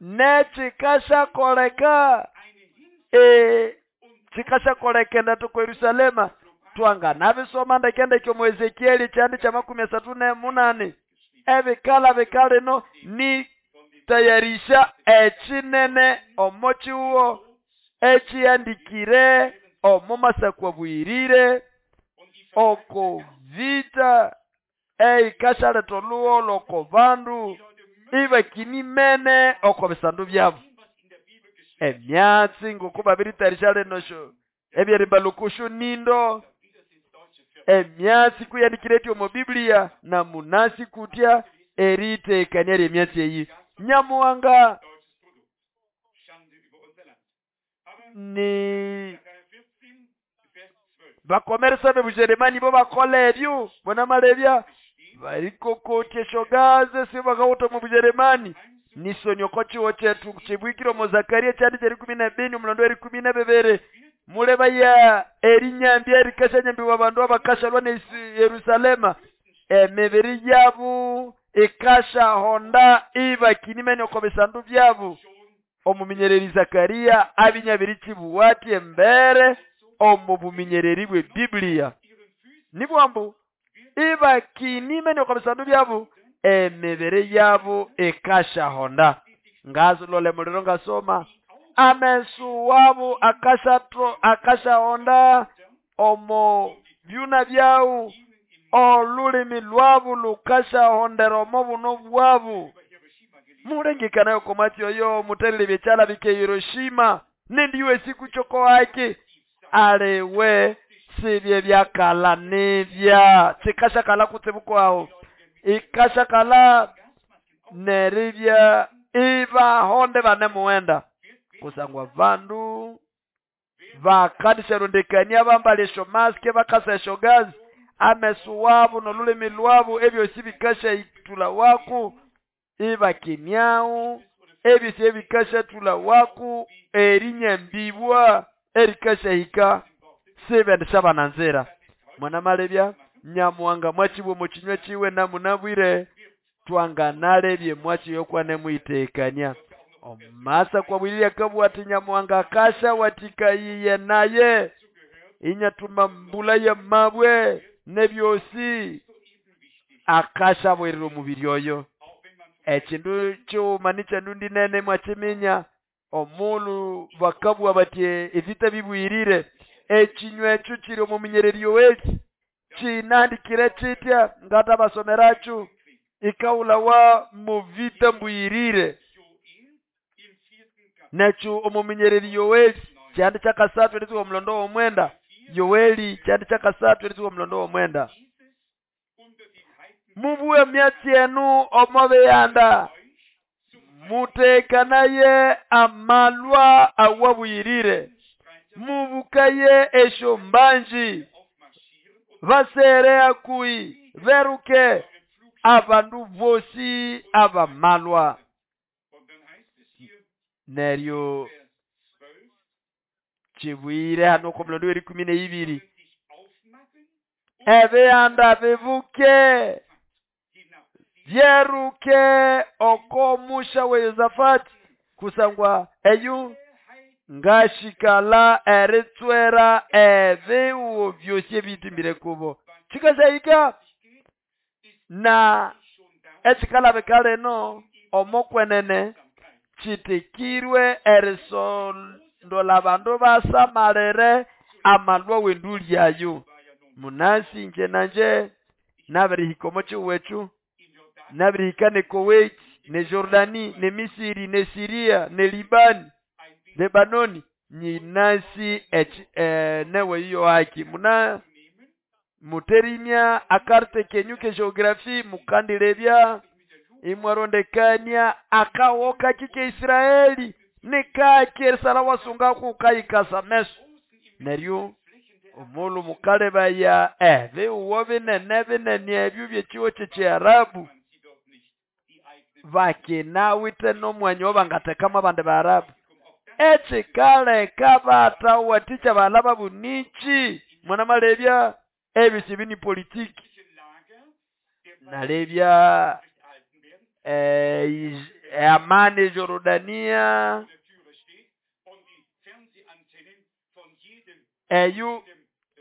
nekikashakoleka e chikashakolekenda toko Yerusalema. Twanganabisoma ndekendeke omu Ezekieli kyandi kya makumi asathu nemunani ebikala bikalino ni tayarisha echinene omo chiwo echiandikire omo masakwa bwirire oko vita eikashaletha olugholo oko bandu ibakinimene oko bisandu byabo. Emyatsi ngoko babiritayarisha lino sho ebyerimbalukushu nindo emyatsi kuyandikire eti omo Biblia na munasi kutya eritekania lyemyatsi eyi. Nyamuhanga ni bakomeresa bebujeremani bo bakola ebyo bonamalebya barikokotya esyogaze sibakawuta omu Bujeremani. Nisonyo chiwo chetu chibwikire omu Zakaria kyandi kyerikumi nebini omulondo erikumi nebibiri mulebaya erinyambi erikashanyambiwa abandu abakashalwa ne Yerusalema emibiri yabu ikashahonda ibakinimene oko bisandu byabu. Omuminyereri Zakaria abinyabiri chibuwati embere omu buminyereri bwe Biblia nibwambu ibakinimene oko bisandu byabu emibiri yabu ikashahonda. Ngazilole muliro ngasoma amesu wabu akashatro akashahonda omo byuna byawu olulimi lwabu lukashahondera omo buno bwabu. Mulengekanayo komati oyo mutelele byechala bike Hiroshima nendiwe siku choko haki alewe sibye byakala nibya chikashakala kutsibuko aho ikashakala neribya ibahonde banemuwenda kusangwa bandu bakadisharondekania bambale esyo maske bakasa esyo gazi amesu wabu nolulimi lwabu ebyosi bikasha itula waku ibakimyau ebyosi ebikasha tula waku erinyambibwa erikasha hika sibendisha bananzira. Mwanamalebya Nyamuhanga mwachibwe muchinywa chiwe namunabwire twanganalebye mwachi yokwane mwitekania. Omasa kwa bwilya kabwa ati Nyamuhanga akasha watikayiye naye inyatuma mbula ya mabwe nebyosi akasha bwerera omubiri oyo. Ekindu kyuma nikyendundi nene mwachiminya omulu bakabwa bati evita bibwirire ekinywa ekyo kiri omu minyereri yoweki kinandikire kitya ngata basomeracho ikaula wa muvita mbwirire nekyo omu minyereri yoweki kyandi kyakasathu eritsuka omulondo w'omwenda. Yoweli kyandi kyakasathu eritsuka omulondo w'omwenda. Mubuwe myatsi enu omo biyanda mutekanaye amalwa awabuyirire mubukaye esyo mbanji basere akui beruke abandu bosi abamalwa. Neryo chibwire hano ko mulondo w'erikumi neibiri ebiyanda bibuke byeruke oko musha we Yosafati kusangwa eyu ngashikala eritswera ebiwo byosi ebitimbire kubo chikashahika na echikala bekaleno omokwenene chitikirwe erisondola bandu basamalere amalwa wenduli yayo. Munasi nje nanje nabirihika omo chiwechu nabirihika ne Kuwait ne Jordani ne Misiri ne Siria ne Libani Lebanoni nyinasi eh, newe iyo haki muna muterimya akarte kenyu ke geografi mukandilebya imwarondekania akawoka kike Israeli nikaki erisala wasunga kukayikasa meso. Neryo omulu mukalebaya ebiwo binene binene ebyo byekiwo kyekyarabu bakinawite nomwanya obangatekamo abandi baarabu ekikaleka batawatikya balaba bunichi. Mwanamalebya ebyo bini politiki nalebya eh, amani Jordania Eyo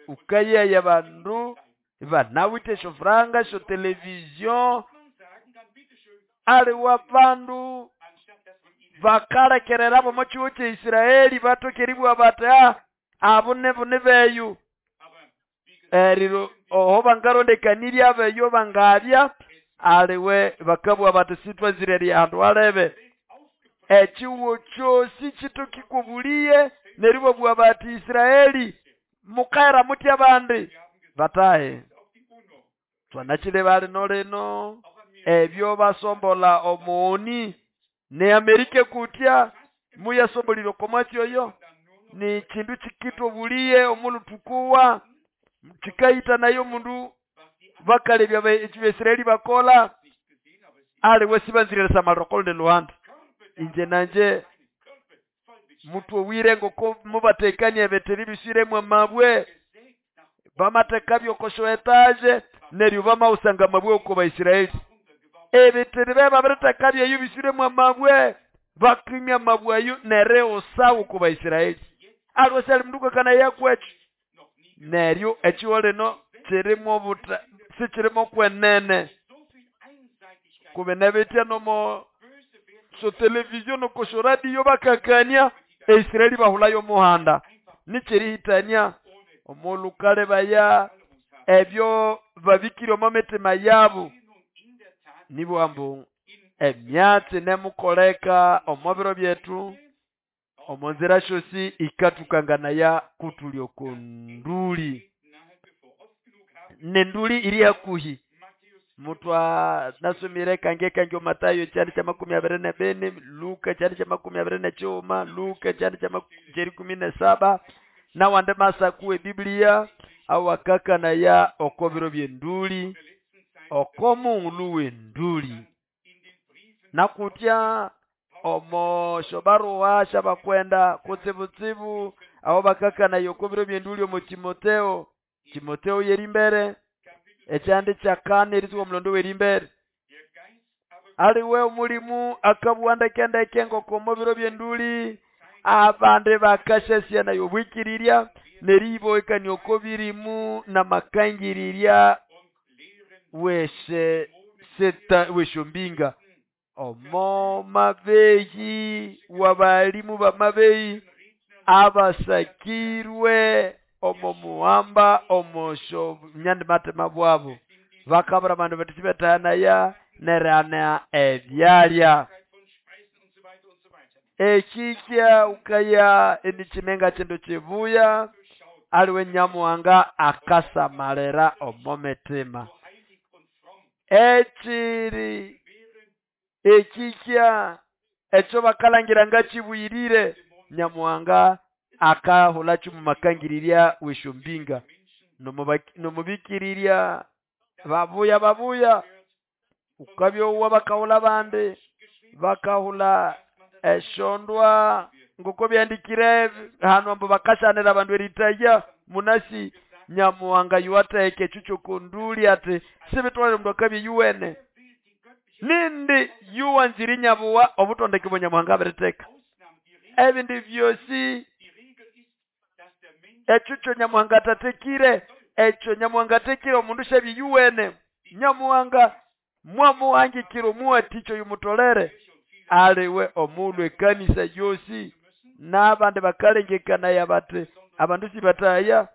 ukayeya bandu banawithe esyofuranga esyo television aliwe abandu bakalekerera omo kihugo kya Israeli batoka eribugha bati ah abo nibuni beyu eriro oho bangarondekanirya abeyo bangabya aliwe bakabugha bati sitwanzire eryahandu alebe ekihugo kyosi kitoka ikobuliye neryo babugha bati Israeli mukahera mutya abandi batahe twanakileba lino lino ebyo basombola omuoni ne Amerika kutya muyasombolire okomwatsi oyo ni kindu kikitobuliye omulutukuwa kikayita nayo omundu bakalebya Abaisraeli bakola aliwe sibanzire erisamalira okolundi luhanda inje nanje mutowire ngoko mubatekania ebeteri bisiremu amabwe bamateka byokosho etaje neryo bamausanga amabwe oko Baisraeli ebeteri bebabiriteka byeyo bisiremu amabwe bakimya amabwe ayo neryo oko Baisraeli aliwe syali mundu kakana yakwecho neryo ekiho lino kirimo obuta sikirimo kwenene kubenebetya nomo so television nokosho radio bakakania Israeli bahulayo omuhanda nikirihitania omulukale baya ebyo babikire omo mitima yabo nibwo ambu emyatsi nemukoleka omo biro byetu omo nzira syosi ikatukanganaya kutulya oko nduli nenduli iri hakuhi mutwa nasomire kange kange Matayo kyali kya makumi abiri ne bini Luka kyali kya makumi abiri ne kyuma Luka kyali kya kumi ne saba nawande masaku ebiblia awakakanaya oko biro byenduli oko mungulu wenduli nakutya omo shobaruwa shabakwenda kutsibutsibu abo bakakanaya oko biro byenduli omo Timoteo Timoteo yerimbere ekyandi kyakane erisuka omulondo werimbere aliwe omulimu akabuwa ndekendeke ngoko omo biro byenduli abandi bakashasya nayo obwikirirya neriboekania oko birimu namakangirirya weshe seta weshombinga omo mabeyi wabalimu bamabeyi abasakirwe omo muhamba omosho nyandi matema bwabo bakabura bandu batibetahanaya nerana ebyalya ekikya ukaya enikimenga kindu kibuya aliwe Nyamuhanga akasamalira omo mitima ekiri ekikya ekyo bakalangira ngakibuyirire Nyamuhanga akahula kyumumakangirirya weshombinga nomubikirirya babuya babuya ukabyowa bakahula bandi bakahula eshondwa ngoko byandikire hano ambo bakashanira abandu eritaya munasi Nyamuhanga yuwatheka ekyo kyokonduli ati sibitwalire omundu akabya yuwene nindi yuwanzire nyabuwa obutondeke bwa Nyamuhanga abiritheka ebindi byosi ekyo kyo Nyamuhanga atatekire ekyo Nyamuhanga atekire omundu syabya yuwene Nyamuhanga mwamuhangikire omuwathikyo yumutolere aliwe omulhu ekanisa yosi n'abandi bakalengekanaya bati abandu sibataya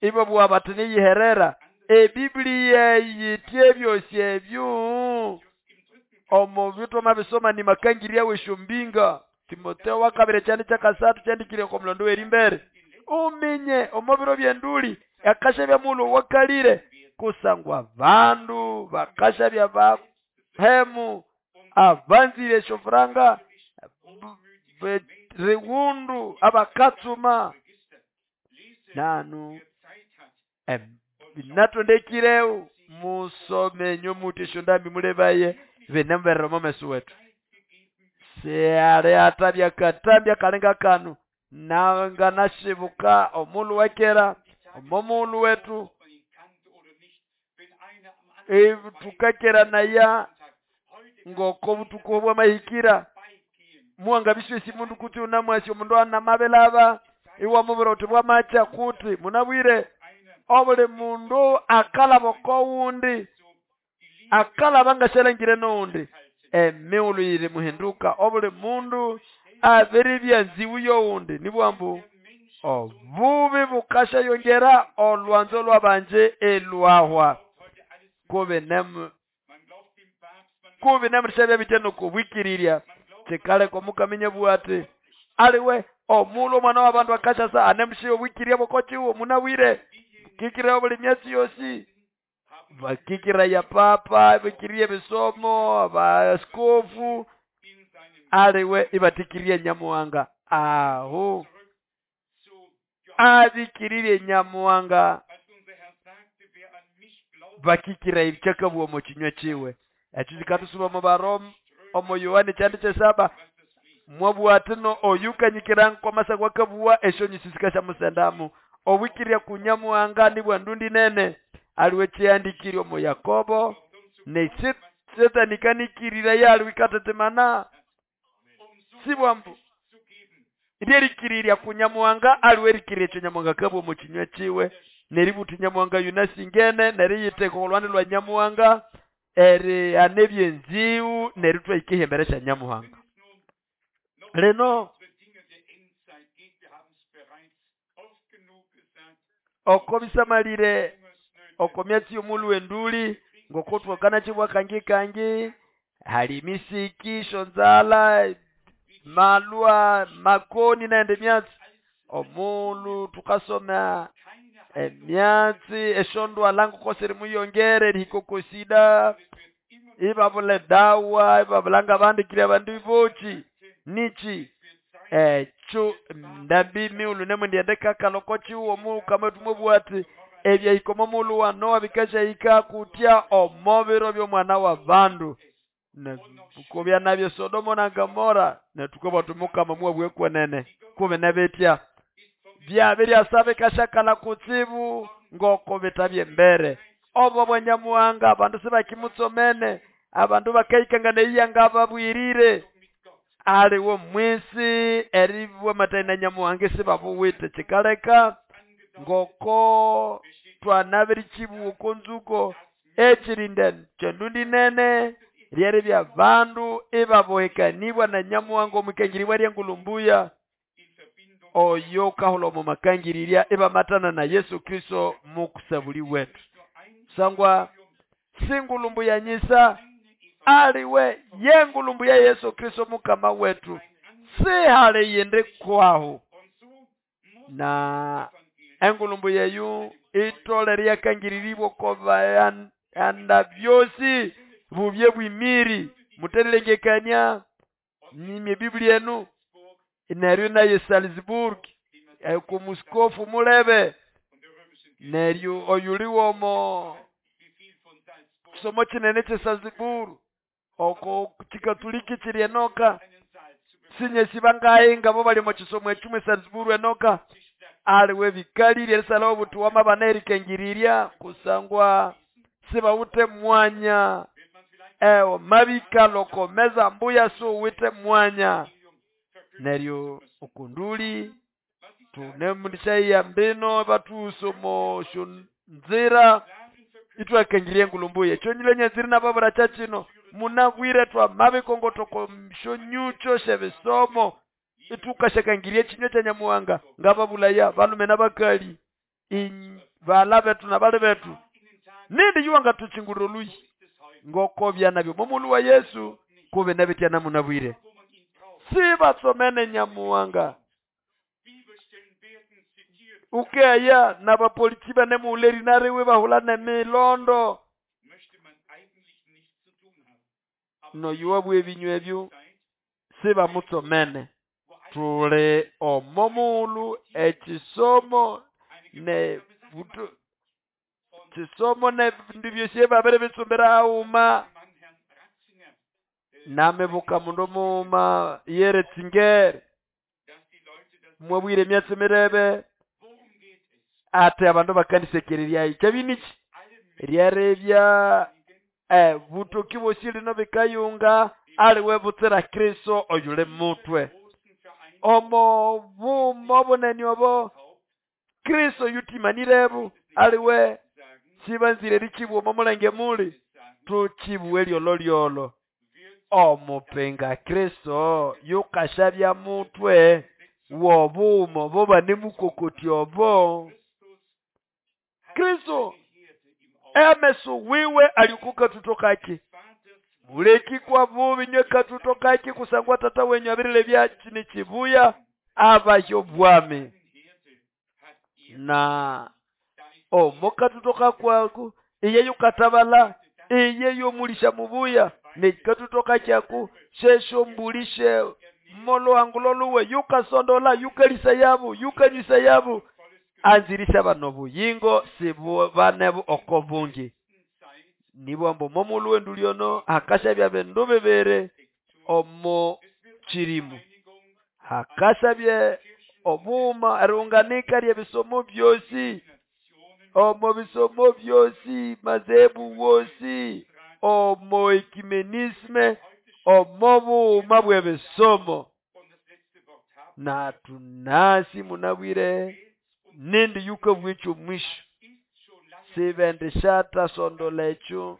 ibabugha bati niyiherera ebiblia yithe ebyosi ebyo omo bitoma bisoma ni makangirya weshombinga Timoteo wakabiri kyandi kyakasathu kyandikire oko mulondo werimbere uminye omo biro byenduli akashabya mulo wakalire kusangwa bandu bakashabya bahemu abanzire eshofuranga riwundu abakatsuma nanu natondekireu musomenyo muti eshondambi mulebaye binemberera omo meso wetu seale atabya katambya kalenga kanu nanga nashibuka omulu wekera omo mulu wetu tukakera naya ngoko butuku bwamahikira muwanga biswesi mundu kuti unamwasi omundu anamabelaba Iwamubwira uthi bwamacha kuti munabwire obuli mundu akalaba okowundi akalaba ngashalangire nowundi emighulhu yiri muhinduka obuli mundu abiribya nziwu yowundi nibwambu obubi bukashayongera olwanzo lwabanje elwahwa kubi nemu kubi nemurishabya bitya nokubwikirirya kikaleka omukaminya bwati aliwe omulhu omwana w'abandu akashasa anemushiya obwikirirya bw'okokiwo munabwire kikira obuli myatsi yosi bakikira ya papa bikirie bisomo abaskofu aliwe ibatikirie Nyamuhanga aho abikiririe Nyamuhanga bakikira ibichakabwa omu kinywa kiwe ekyo kikatusuba omu Baroma omu Yohana kyandi kyesaba mwabwatino oyukanyikira nkomasa gwakabuwa eshonyi sisikashamusendamu obwikiria ku Nyamuhanga nibwa ndundi nene aliwe kyandikire omu Yakobo ne Setani kanikirira yaliwe ikatetemana sibwambu lyerikiriria ku Nyamuhanga aliwe rikiriria ekyo Nyamuhanga kabwa omu kinywa kiwe neributa Nyamuhanga yunasingene neriyiteka olwande lwa Nyamuhanga eri anebyenziwu neritwa ikihembere kya Nyamuhanga lino oko bisamalire oko myatsi y'omulhu w'enduli ngokotwakana chibwa kangi kangi hali misiki shonzala malwa makoni naende myatsi omulhu tukasoma emyatsi eshondwala ngokosiri muyongere rihikokosida ibabula dawa ibabulanga bandikire abandu bochi nichi ekyo ndambi mighulhu nemundiende kakaloko chiwo omukama tumubwati ebyahika omulhu wa Noa bikashahika kutya omo biro by'omwana wa bandu nekubya nabyo Sodomo na Gomora netukabwa tumukama mwabwe kwenene kube nebetya byabirya bikashakala kutsibu ngoko bitabye mbere obo bwa Nyamuhanga abandu sibakimutsomene abandu bakaikangana iyanga babwirire aliwo mwisi eribwa mataina Nyamuhanga sibabuwite kikaleka ngoko twanabiri chibuko nzuko echirinda kyendundi nene ryeri bya bandu ibabohekanibwa na Nyamuhanga omukangiribwa ryengulumbuya oyo kahula omu makangirirya ibamatana na Yesu Kristo mukusabuli wetu sangwa singulumbuya nyisa aliwe yengulumbuya Yesu Kristo mukama wetu sihale yende kwaho na engulumbuya yu itole ryakangiriribwa koba anda byosi bubye bwimiri muterelengekania nimye Biblia enu neryo naye Salzburg ku muskofu mulebe neryo oyuliwomo kisomo kinene kye Salzburg oko kikatoliki kiri enoka sinyesi bangaye ngabo bali mu kisomo ekimwe Salzburg enoka aliwe bikalirye erisala obutu wamabana erikangiriria kusangwa sibawute mwanya ewo mabikaloko meza mbuya suwite mwanya neryo okunduli tunemundishaiya mbino batusomo shonzira itwakangirie ngulumbuye chonyile nyaziri nababura chachino munabwire twa mabikongotoko shonyucho shebisomo itukashakangirie chinyo cha Nyamuhanga ngababulaya balume nabakali bala betu nabale betu nindi yuwanga tuchinguriro luyi ngoko byanabyo momulu wa Yesu kube nabitya namunabwire sibatsomene Nyamuhanga ukeya nabapolitiki banemuuleri nariwe bahula nemilondo noyuwa ebinywa ebyo sibamutsomene tule omomulu ekisomo ne butu kisomo ne bindu byosi babere bitsumbira auma namebuka mundu muuma yere tsingere mwabwire emyatsi mirebe ate abandu bakandisekereryayo kyabiniki ryarebya eh butoki bosi lino bikayunga aliwe butsira Kristo oyule mutwe Omo bumo bunene obo Kristo yutimanirebo aliwe sibanzire erichibuwa omo mulenge muli tuchibuwe lyolo lyolo. Omupinga Kristo yukashabya mutwe wobumo bobanemukokoti obo. Kristo emeso wiwe alikuka tutokaki muleki kwa bubi nywe katutokaki kusangwa tata wenyu abirile bya chibuya abayo bwami na omo katutoka kwaku iye yukatabala iye yomulisha mubuya nekatutoka kyaku shesho mbulishe molo anguloluwe yukasondola yukalisa yabu yukanyisa yabu anzirisha bano buyingo sibu banebu oko bungi nibwambo momuluwe nduliono akasha bya bindu bibiri omo chirimu hakasha bye obuma erunganika rye bisomo byosi omo bisomo byosi mazebu wosi omo ekimenisme omo buuma bwe bisomo na tunasi munabwire nindi yuka bwicho mwisho sibende shata sondola echo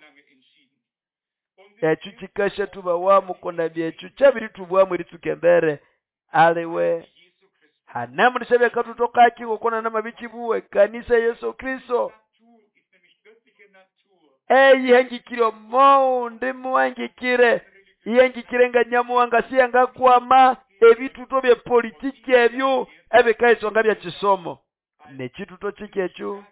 echo chikasha tubawamu kona byecho chabiri tubwamu eritsukembere aliwe hanemulisha katutoka gokona namabichibuwe kanisa Yesu Kristo eyihengikire omo muhengikire ihengikire nga nyamuwanga siyanga kwama ebituto bye politiki ebyo ebikaisonga bya chisomo nechituto chikecho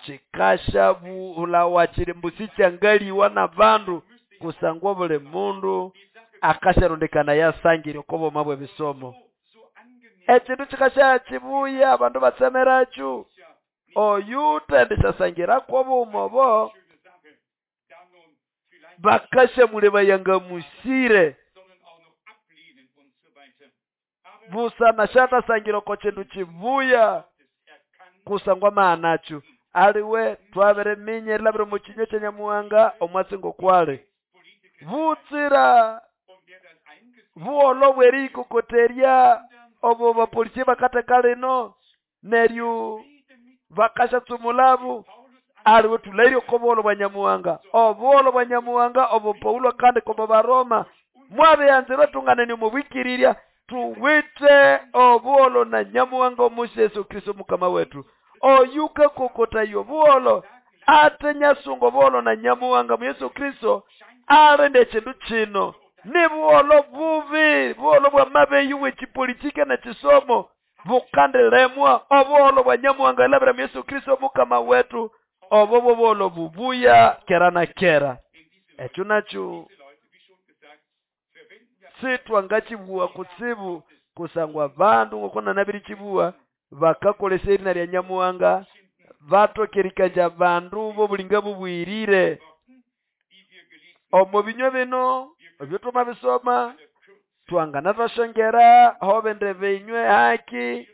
chikasha bulawa chiri mbusichangaliwa na bandu kusangwa buli mundu akasharondekana yasangire okobo mabwe bisomo ekintu chikasha chibuya abandu batsemeracho oyutendeshasangira kobumobo bakasha muleba yanga musire busana shata sangira ko chindu chibuya kusangwa maanacho aliwe twabere minye labire mu kinyo kya nyamuwanga omwatsingo kwale butsira buolo bwerikokoterya obo bapolisi bakateka lino neryo bakasha tsumulabu aliwe tulaire okobolo bwa nyamuwanga obolo bwa nyamuwanga obo Paulo kandi kobo baroma mwabeyanzirwe tunganeni mubwikirirya tuwite obuolo na nyamuwanga omusi Yesu Kristo mukama wetu oyuka kokota yo buolo ate nyasungo buolo na nyamuwanga mu Yesu Kristo arende chindu chino ni buolo bubi buolo bwa mabeyi wechipolitika na chisomo bukandelemwa obuolo bwa nyamuwanga labra mu Yesu Kristo mukama wetu obo buolo bubuya kera na kera echo nacho sitwangachibuwa kutsibu kusangwa bandu ngokona nabiri chibuwa bakakolesa erina lya nyamuwanga batokerikanja bandu bo bulinga bubwirire omo binywa bino ebyo tumabisoma twangana twashongera hobende binywe haki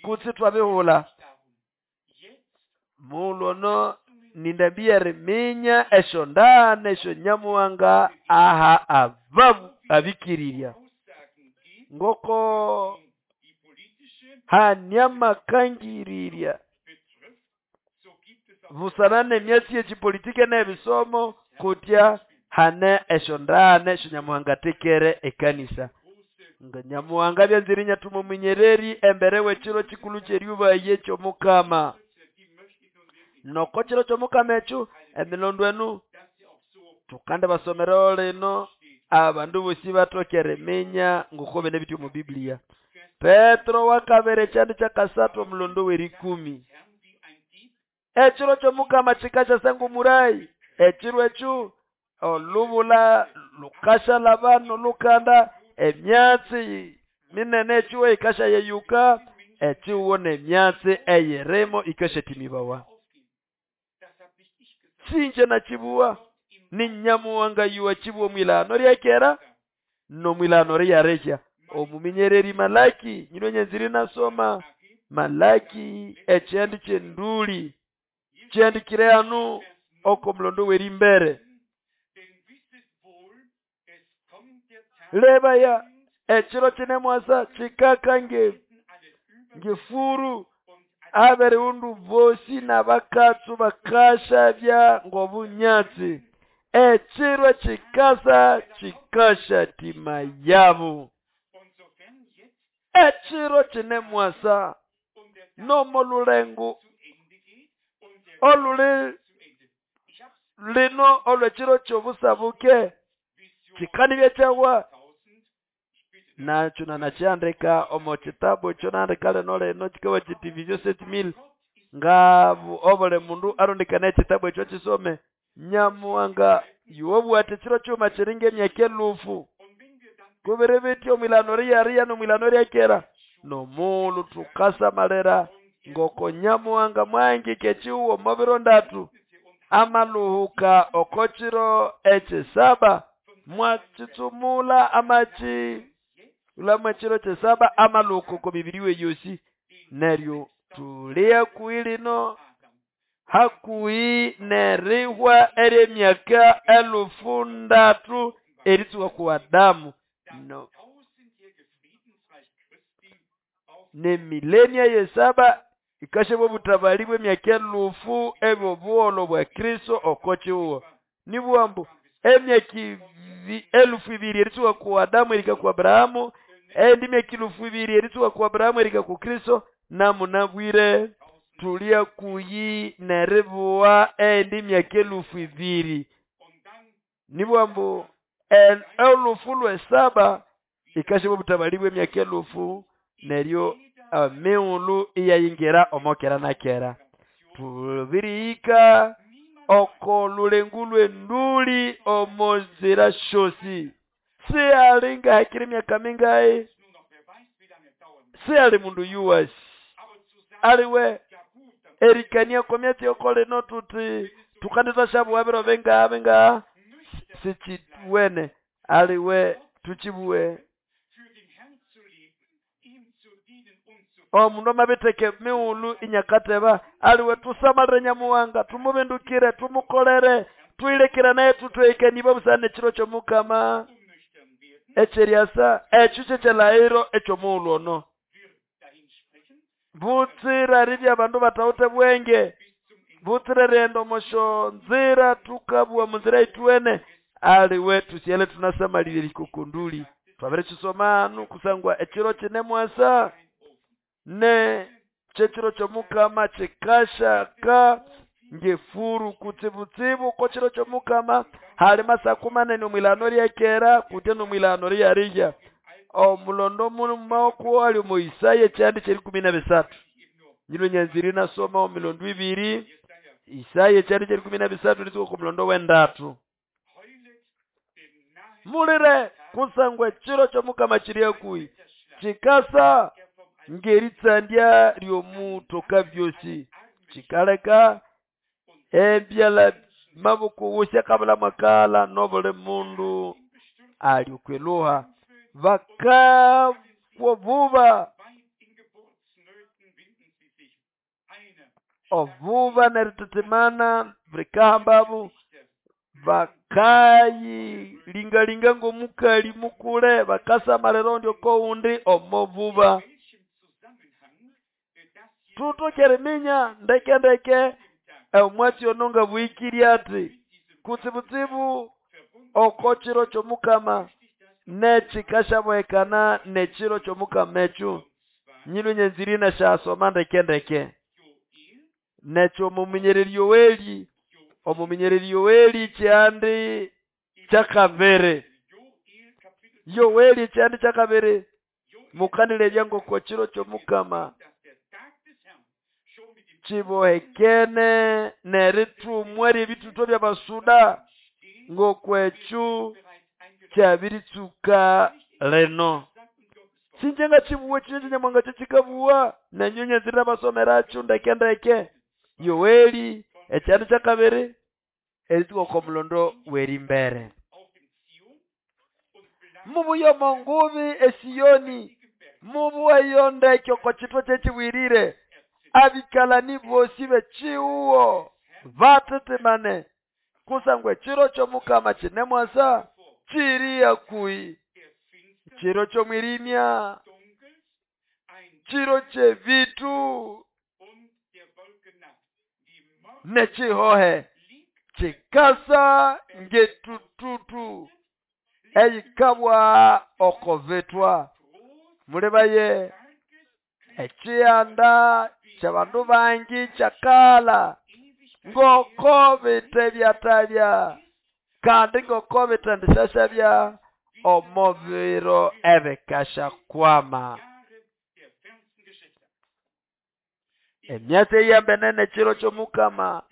kutsi twabihula mulono nindabia riminya esho ndane esho nyamuwanga aha ababu abikirirya ngoko hanyamakangiriria busanane myasi yechipolitike n'ebisomo kutya hane esho ndane esho nyamuhanga tekere ekanisa nga nyamuhanga byanzirinya tumuminyereri embere w'ekiro kikulu ky'eryubaye ky'omukama noko kiro ky'omukama ekyo emilondo enu tukande basomero lino abandu bosi batokere minya ngukobe nebityo mu Biblia. Petro wakabere kyandi kyakasatu omulondo w'erikumi ekiro ky'omukama kikasha sangu murayi ekiro ekyo olubula lukasha labano lukanda emyatsi minene ekiwo ikasha yeyuka ekiwo nemyatsi eyeremo ikasha timibawa sinje na chibuwa ni nyamuwanga yuwa chibuwa mwilano ryakera no mwilano ryareja omuminyereri Malaki nyinonye nziri nasoma Malaki ekyandi kyenduli kyandikire anu oko mulondo werimbere leba ya Ekiro kine mwasa kikaka nge ngefuru aberiundu bosi n'abakatsu bakashabya ng'obunyatsi. Ekiro kikasa kikasha tima yabo. Ekiro kine mwasa nomolulengo oluli lino olwekiro kyobusabuke kikanibya kyawa nakyo nanakyandika omo kitabu ekyo nandika lino lino kikawa kiti Vision sept mille ngabu obuli mundu arondekana ekitabu ekyo kisome. Nyamuhanga yobwate ekiro kyuma kiringa emyaka elufu kubiri bityo omwilano riyariya nomwilano ryakera nomulu tukasamalira ngoko Nyamuhanga mwangike ekihugo omo biro ndatu amaluhuka oko kiro ekisaba mwakitsumula amaki ulamu ekiro kyesaba amaluhuka oko mibiri we yosi. Neryo tulia kuhi lino hakuhi nerihwa eryemyaka elufu ndatu eritsuka ku Adamu no ne milenia yesaba ikashebwa obutabali bw'emyaka elufu ebyobuholo bwa Kristo oko kihugo. Nibwambu emyaka elufu ibiri eritsuka ku Adamu erika ku Abrahamu, endi myaka elufu ibiri eritsuka ku Abrahamu erika ku Kristo, namunabwire tulia kuyi neribuwa endi myaka elufu ibiri. Nibwambu elufu lwesaba ikashebwa obutabali bw'emyaka elufu neryo emighulhu iyayingira omokera na kera. Tubirihika oko lulengu lw'enduli omozira shosi. Sihali ngahekire emyaka mingayi, sihali mundu yuwasi aliwe erikania komyatsi yoko lino tuti tukandisa shabuwa biro bingaha bingaha sikiwene aliwe tukibuwe. Omundu amabitheka emighulhu inyakateba aliwe tusamalire Nyamuhanga tumubindukire tumukolere twilekera naye tutweikaniba busana ekiro ky'omukama ekyeryasa ekyo kyekyelahiro ekyomughulhu ono. Butsira ribya abandu batawuthe bwenge, butsira erighenda omosyo nzira tukabuwa munzira yithuwene aliwe tusyale tunasamalire erikokonduli. Twabirikisoma hanu kusangwa ekiro kine mwasa ne kyekiro ky'omukama kikashaka ngefuru kutsibutsibu ko kiro ky'omukama hali masaku manene omwilano ryakera kutya nomwilano ryarija. Omulondo mumako ali omu Isaya ekyandi kyerikumi na bisathu. Nyino nyanziri nasoma omilondo ibiri Isaya ekyandi kyerikumi na bisathu ritsuka ku mulondo w'endatu. Mulire kusangwa ekiro ky'omukama kiri hakuhi kikasa ngeritsandya ly'omutoka byosi kikaleka ebyala maboko wose kabula makala nobuli mundu ali okweluha bakakwobuba obuba neritetemana bikahambabu bakayilingalinga ng'omukali mukule bakasamalira ondi okoundi omobuba. Tutokere minya ndeke ndeke omwatsi ono nga bwikiri ati kutsibutsibu oko kiro ky'omukama nekikashabwekana nekiro ky'omukama ekyo. Nyino nyenziri nasyasoma ndeke ndeke nekyo omuminyereri Yoweli omuminyereri Yoweli kyandi kyakabiri Yoweli kyandi kyakabiri mukanilebya ng'oko kiro ky'omukama kibohekene nerithumwa ry'ebithutwa by'abasuda ng'okwekyo kyabiritsuka lino. Sinje ngakibuwa kinyo Nyamuhanga kyekikabuwa nenyo nyenzire basomerakyo ndeke ndeke. Yoweli ekyandi kyakabiri eritsuka oko mulondo w'erimbere. Mubuye omo ngubi esiyoni mubuweyo ndeke oko kitwa kyekibwirire abikalani bosi bekihugo batetemane kusangwa ekiro ky'omukama kinemwasa kiri hakuhi Chiro ky'omwirimya, chiro ky'ebitu n'ekihohe kikasa ng'etututu eyikabwa okobitwa. Mulibaye ekiyanda ky'abandu bangi kyakala ngoko bitebyatabya kandi ngoko bitendishashabya omo biro ebikashakwama. Emyatsi eyambene n'ekiro ky'omukama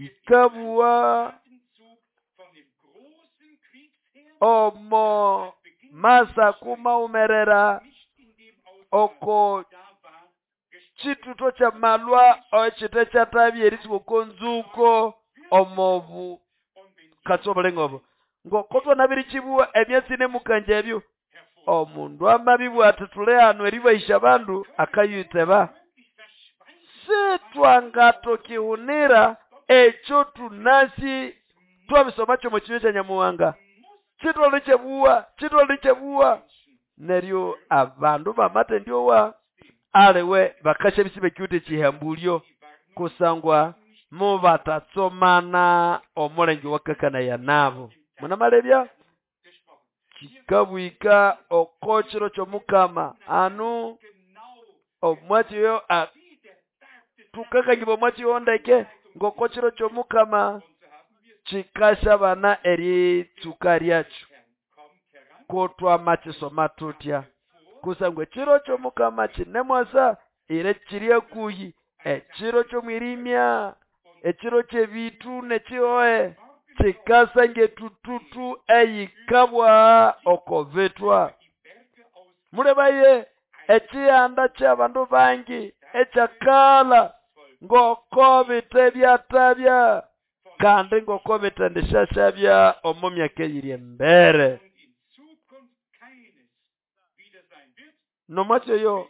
ikabua omo masa kumaumerera oko chituto kya malwa ekite kyatabya erisuka oko nzuko omobu katsobulengobo ngoko twanabirichibua emyatsi nemukanja ebyo omundu amabibwa ati tuli hano eribahisha abandu akayiteba sitwangatokihunira ekyo tunasi twabisoma kyomo kinywa kya Nyamuhanga chitolichebua chitolichebua neryo abandu bamatendyowa aliwe bakasha bisibe kyute chihambulyo kusangwa mubatatsomana omulenge wakakana ya nabo munamalebya chikabwika okochiro ky'omukama anu omwachiyo tukakangiba omwachiyo ndeke ngokochiro ky'omukama chikashabana eritsuka lyakyo kotwamakisoma tutya kusangwa ekiro ky'omukama kinemwasa ire kiri akuhi ekiro ky'omwirimya ekiro ky'ebitu n'ekihohe kikasa ng'etututu eyikabwa okobitwa. Mulebaye ekiyanda ky'abandu bangi ekyakala ngoko bitebyatabya kandi ngoko bitendishashabya omo myaka eyiri embere. Nomwatyo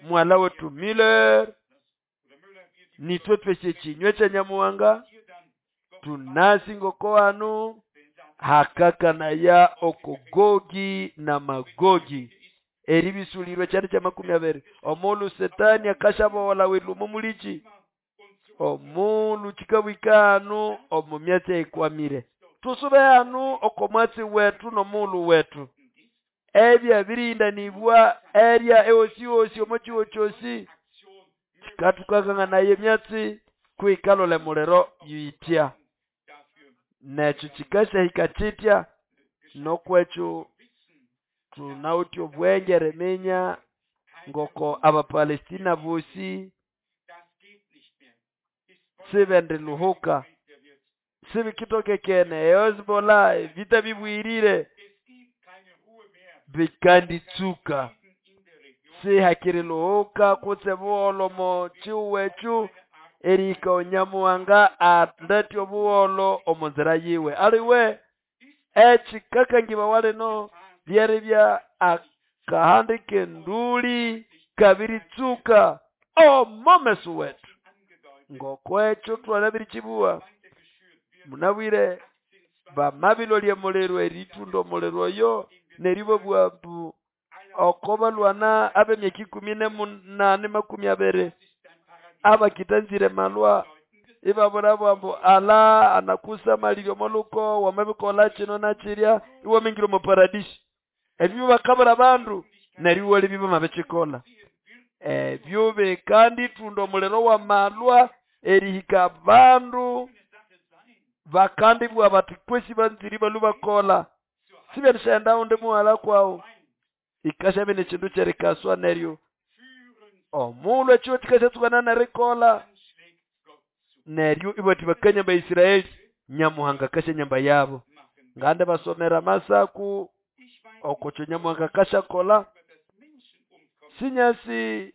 mwala wetu Miller nitwe tweshe kinywe kya Nyamuhanga tunasi ngoko hanu hakakanaya okogogi na magogi eribisulirwe kyali kya makumi abiri omulu setani akashabola wilumo mulichi omulu chikabwika hanu omu myatsi eyikwamire tusube hanu okomwatsi wetu n'omulu wetu ebya birindanibwa erya ewosi osi omo kyosi kikatukakanganaye emyatsi kwikalole muliro yitya nekyo kikashahika kitya nokwekyo tunawithe obwenge eriminya ngoko Abapalestina bosi sibendiluhuka sibikitokekene Hezbollah vita bibwirire bikanditsuka sihakiriluhuka kutse buholo mo chiwechu erika Onyamuhanga andetye obuholo omu nzira yiwe aliwe ekikakangiba walino byeribya akahandi kenduli kabiritsuka omomeso wetu ngokwekyo twanabirichibua munabwire bamabilolye muliro eritunda omuliro oyo neribo bwambu okobalwana ab'emyaka ikumi n'emunane makumi abiri abakitanzire malwa ibabura bwambu ala anakusa maliryo moluko wamabikola kino nakirya iwamingire omu paradisi ebyo bakabura bandu neryo wali biba mabekikola ebyo bekandi tunda omuliro wa malwa erihika bandu bakandibwa bati kwesi banziri balubakola siberishaenda undi muhala kwawo ikashabe nekindu kyerikaswa neryo omulhu ekyo kikashatsukana nerikola neryo ibati bakanya ba Israeli Nyamuhanga kasha nyamba yabo ngande basomera masaku okokyo Nyamuhanga kashakola sinyasi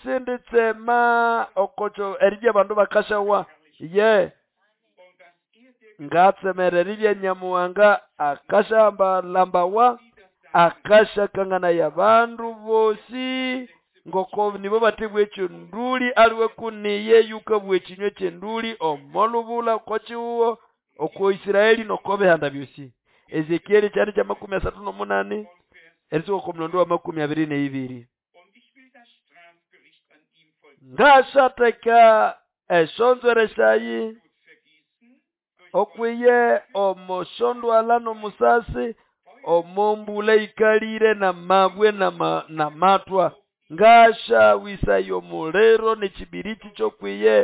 sinditsema okokyo eribya abandu bakashawa ye ngatsemera eribya Nyamuhanga akashamba lambawa akashakangana yabandu bosi ngoko nibo batebwa ekyo nduli aliwe kuniye yukabwa ekinywa kyenduli omolubula kochiwo oko Israeli nokobehanda byosi Ezekieli kyandi kya makumi asathu n'omunani erisuka oko mulondo wa makumi abiri n'eibiri. Ngashatheka eshonzwere syayi okwiye omoshondwalha n'omusasi omombula ikalire n'amabwe n'amatwa. Ngashawisaya omuliro n'ekibiriti ky'okwiye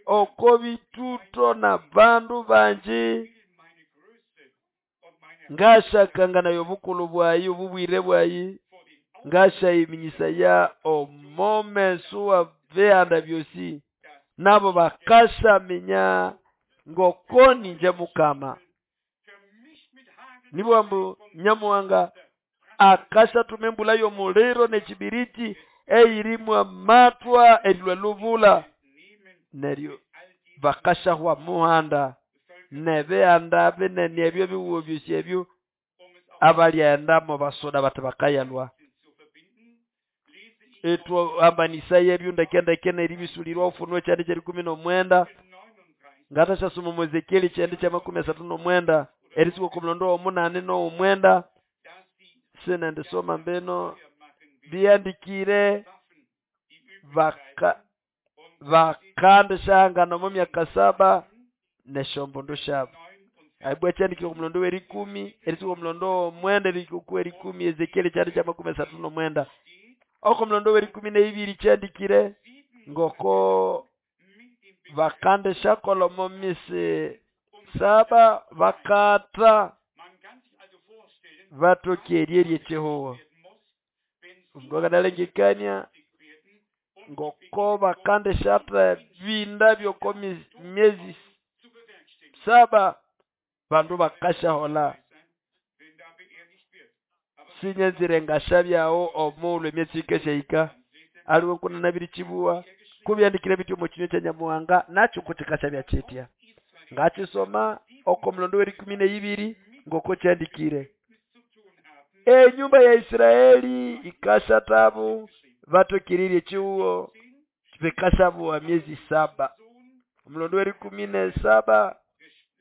oko bituto n'abandu bangi. Ngashakanganayo obukulhu bwayi obubwire bwayi, ngashayiminyisaya omomeso wa bihanda byosi, nabo bakashaminya ngoko ninje Mukama. Nibwo ambu Nyamuhanga akashathuma embulha y'omuliro n'ekibiriti eyirimu amatwa erilwa lubula, neryo bakashahwa muhanda n'ebihanda binene ebyo ebihugo byosi ebyo abalyaendamo basoda bathi bakayalwa. Ithwahambanisaya ebyo ndeke ndeke n'eribisulirwa Ufunuo kyandi ky'erikumi n'omwenda. Ngathashasoma omu Ezekieli kyandi kya makumi asathu n'omwenda erisuka oko mulondo w'omunani n'ow'omwenda, sinendisoma mbino byandikire baka bakandishahangana omo myaka saba n'esyombundu syabu. Aibwa kyandikire oku mulondo w'erikumi erisuka oku mulondo w'omwenda erihika oku w'erikumi Ezekieli kyandi kya makumi asathu n'omwenda. Oko mulondo w'erikumi n'eibiri kyandikire ngoko bakandishakolha omo misi saba bakatha bathoke eryerya ekyihugho. Omundu akanalengekania ngoko bakandishatha ebinda by'oko myezi saba bandu bakasyaholha. Sinyanzire ngashabyaho omughulhu emyatsi yikasyahika aliwe kunanabirikyibugha kubyandikire bithi omo kinywa kya Nyamuhanga nakyo kukikashabya kyitya. Ngakyisoma oko mulondo w'erikumi n'eibiri ngoko kyandikire. Enyumba ya Israeli ikashathabu bathoke eryerya ekyihugho bikashabuwa myezi saba. Omulondo w'erikumi n'esaba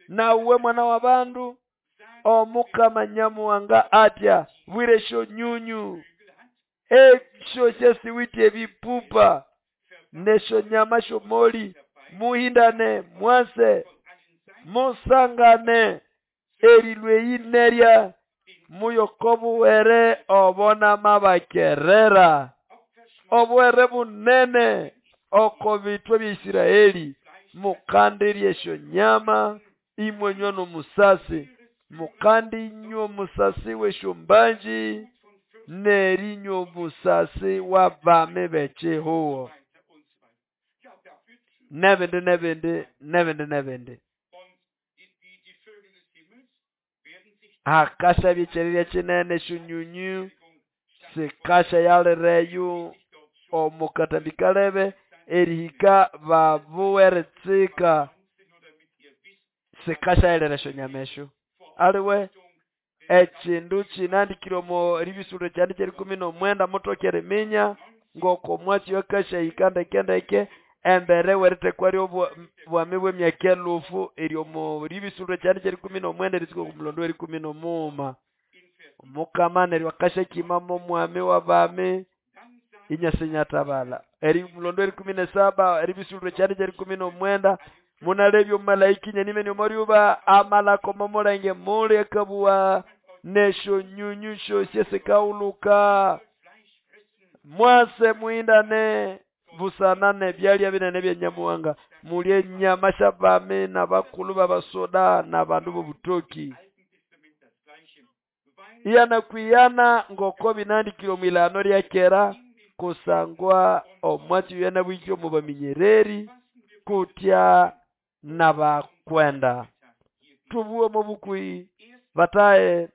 nawe mwana w'abandu Omukama Nyamuhanga atya bwira esyonyunyu esyo syasiwithe ebipupa n'esyonyama sy'omoli muhindane mwase musangane erilwa eyi nerya muyoko obuhere obo namabakerera obuhere bunene oko bithwa bya Isiraeli. Mukandirya esyonyama imwanywa n'omusasi, mukandinywa omusasi w'esyombanji n'erinywa omusasi w'abami b'ekyihugho n'ebindi n'ebindi n'ebindi n'ebindi. Hakashabya ekyererya kinene esyonyunyu sikashayalireyo omo katambi kalebe erihika babuwa eritsika sikashayalira esyonyama esyo. Aliwe ekyindu kyinandikire omo ribisuliro kyandi ky'erikumi n'omwenda muthoke eriminya ngoko omwatsi akasyahika ndeke ndeke embere w'erithekwa ly'obwami bw'emyaka elufu eri omo ribisuliro kyandi ky'erikumi n'omwenda erisuka oku mulondo w'erikumi n'omughuma. Omukama neryo akasyakimamo omwami w'abami inyasinyathabalha. Eri mulondo w'erikumi n'esaba eribisuliro kyandi ky'erikumi n'omwenda munalebya omumalaika inyanimene omo ryuba amalako omo mulenge muli akabuwa n'esyonyunyu syosi esikaghulhuka mwase muhindane busana n'ebyalya binene bya Nyamuhanga mulye enyama sy'abami n'abakulhu b'abasoda n'abandu b'obutoki. Iyanakwiyana ngoko binandikire omwilhano lya kera kusangwa omwatsi oyo yanabwikire omo baminyereri kutya n'abakwenda. Tubuwe omo bukuhi batahe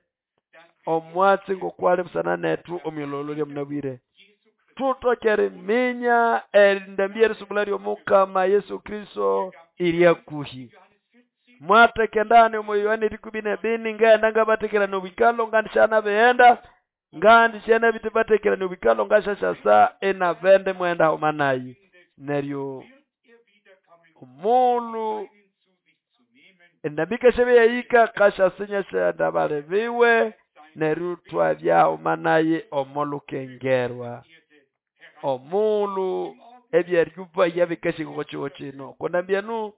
omwatsi ngokwali busana nethu omwilholho lya munabwire. Thuthoke eriminya endambi y'erisubula ly'Omukama Yesu Kristo iri hakuhi. Mwatheka endagane omo Yohana erikumi n'ebini ngaghenda ngabathekerania obwikalho ngandisyanabiyenda ngandisyanabithibathekerania obwikalho ngasyasyasa inabende imughenda haghuma nayi. Neryo omughulhu Endambi ikasyabe yahika kasyasinya syanda bali biwe neryo thwabya haghuma naye omo lukengerwa. Omulhu ebyeryubaya bikahika oko kihugho kino okwa ndambi eno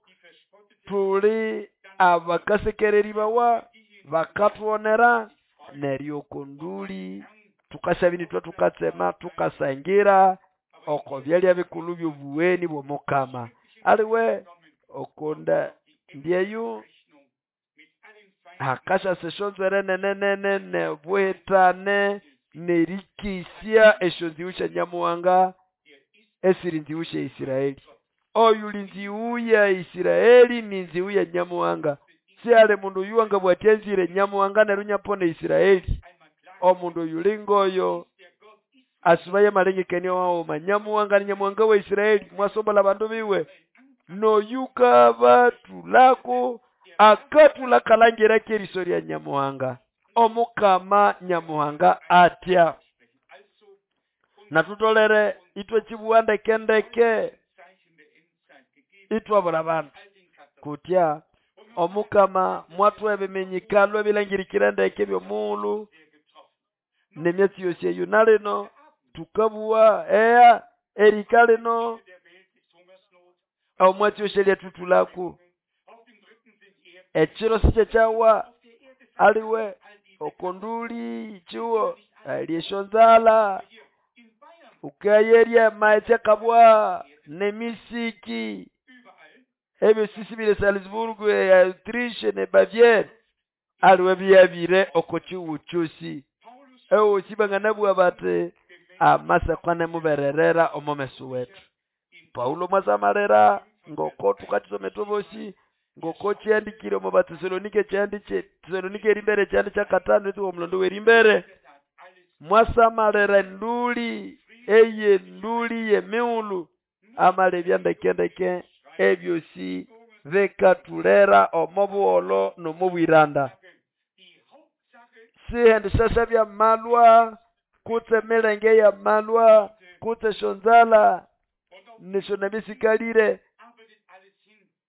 thuli abakasekereribawa bakathughonera neryo oko nduli thukasyabya inithwe thukatsema thukasangira oko byalya bikulhu byobuweni bw'omukama. Aliwe oko ndambi eyo hakasyasa esyonzwere nene nene nobuhitane nerikesya esyonzĩgũ sya Nyamuhanga esiri nzĩgũ sya Israeli. Oyuli nzĩgũ ya Israeli ni nzĩgũ ya Nyamuhanga. Sihali mundu oyu wangabugha athi anzire Nyamuhanga neryo inyapona Israeli. Omundu oyuli ngoyo asubaye amalengekania waghuma. Nyamuhanga ni Nyamuhanga wa Israeli, mwasombola abandu biwe. Noyukabathulako akathula kalangira k'eriso lya Nyamuhanga. Omukama Nyamuhanga atya. Nathutolere ithwe kibugha ndeke ndeke ithwabura abandu kutya omukama mwathuha ebiminyikalo ebilangirikire ndeke ebyomughulhu nemyatsi yosi eyo. Nalino thukabugha eya erika lino omwatsi yosi eryathutulako ekiro sikyekyawa aliwe oko nduli kihugho ali esyonzalha ukayerya amaghetse akabwa nemisiki ebyosi sibiri Salzburg, Autriche ne Bavière aliwe byabire oko kihugho kyosi. Ebosi banganabugha bathi amasako anemubererera omo meso wethu. Paulo mwasamalira ngoko thukakisoma ithwe bosi ngoko kyandikire omo Batesalonike kyandi kye Tesalonike erimbere kyandi kyakatano eritsuka omulondo w'erimbere mwasamalira enduli eye nduli y'emighulhu amalebya ndeke ndeke ebyosi bikathulera omo buholho n'omo bwiranda. Sihendishasha byamalwa kutse emilenge y'amalwa kutse esyonzalha nesyo nabisikalire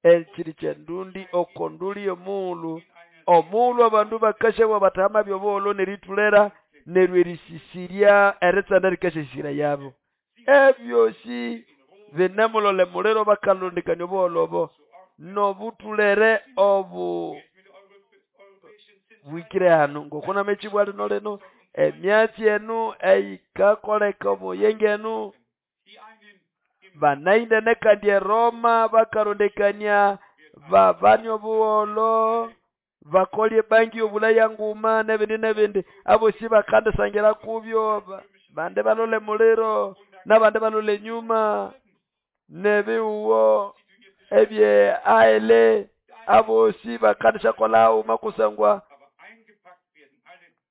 ekiri kyendundi oko nduli y'omughulhu. Omughulhu abandu bakasyabuwa bathi hamabya obuholho nerithulera neryo erisisirya eritsanda rikasyasisira yabo. Ebyosi binemulole muliro bakalondekania obuholho obo nobuthulere obu bwikire hano ngoko namekibwa lino lino emyatsi enu eyikakoleka omuyenge enu banaindene kandi eRoma bakarondekania babani obuholho bakolye bangi obulaya nguma nebindi nebindi abosi bakandisangira kubyo bande balole muliro nabande balole nyuma nebiwuwo ebye aele abosi bakandishakola makusangwa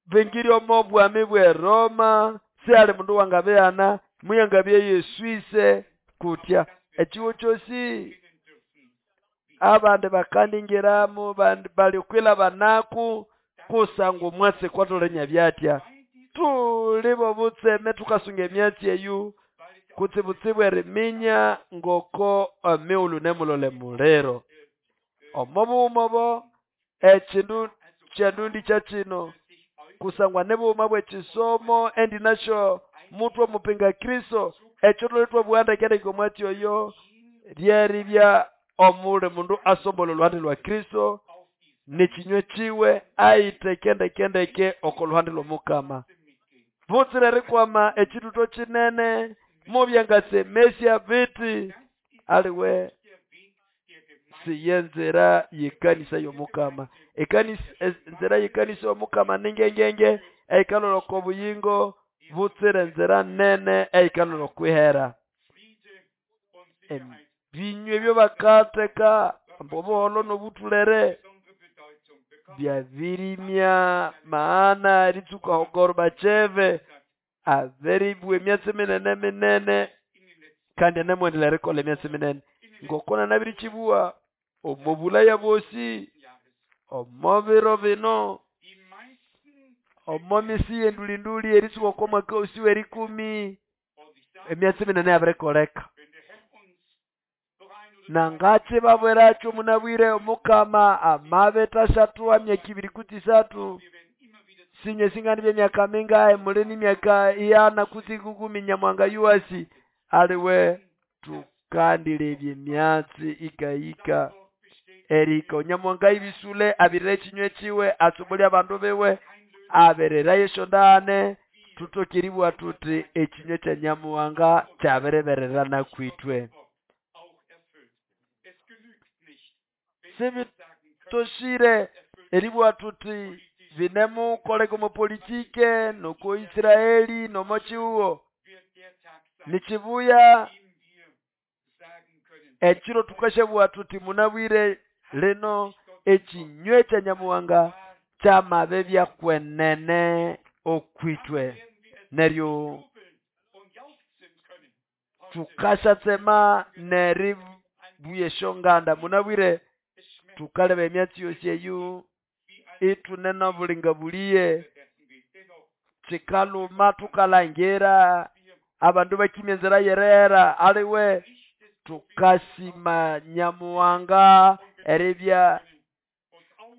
bingiri omo bwami bwe Roma sihali mundu wangabeana muyangabye Yesuise kutya ekiwo kyosi abandi bakandingiramu bandi balikwila banaku kusangwa omwatsi kwatholenya byatya. Tuli bobutseme thukasunga emyatsi eyu kutsibutsibu eriminya ngoko emighulhu nemulole muliro. Omo bughuma obo ekindu kyendundi kyakino kusangwa nebughuma bw'ekisomo endi nasyo mutwe omupinga Kristo ekyo thuli thwabugha ndeke ndeke omwatsi oyo lyeribya omuli mundu asombola olhuhande lwa Kristo nekinywe kiwe ayitheke ndeke ndeke oko luhande lw'omukama. Butsira erikwama ekithuto kinene mubyangasemesya biti aliwe siyenzera yekanisa y'omukama. Ekanisa enzera yekanisa y'omukama ningengenge eikalolha oko buyingo butsira enzera nene eikalolha okwihera. Ebinywa ebyo bakatheka obuholho n'obuthulere byabirimya maana eritsuka Gorbachev abiribwa emyatsi minene minene kandi anemwendelera erikolha emyatsi minene. Ngoko nanabirikibuwa omo bulaya bwosi omo biro bino omo misi y'endulinduli eritsuka oko mwaka osi w'erikumi emyatsi minene yabirikoleka. Nangachibabwiracho munabwire omukama amabithashathuha myaka ibiri kutse isathu sinye singani byemyaka mingahe muli ni myaka iyana kutse ikumi Nyamuhanga yuwasi aliwe tukandilebya emyatsi ikahika erihika Nyamuhanga ibisule abirira ekinywa kiwe asubulya abandu biwe abirirayo esyondahane tuthoke eribugha thuthi ekinywa kya Nyamuhanga kyabiribererana kwithwe. Sibitoshire eribugha thuthi binemukoleka omo politike noko Israeli nomo kihugo nikibuya ekiro tukashabugha thuthi munabwire lino ekinywa kya Nyamuhanga kyamabibya kwenene okwithwe neryo tukashatsema neribuya esyonganda munabwire tukaleba emyatsi yosi eyu ithune nobulinga buliye kikaluma tukalangira abandu bakimya enzira yerera aliwe tukasima Nyamuhanga eribya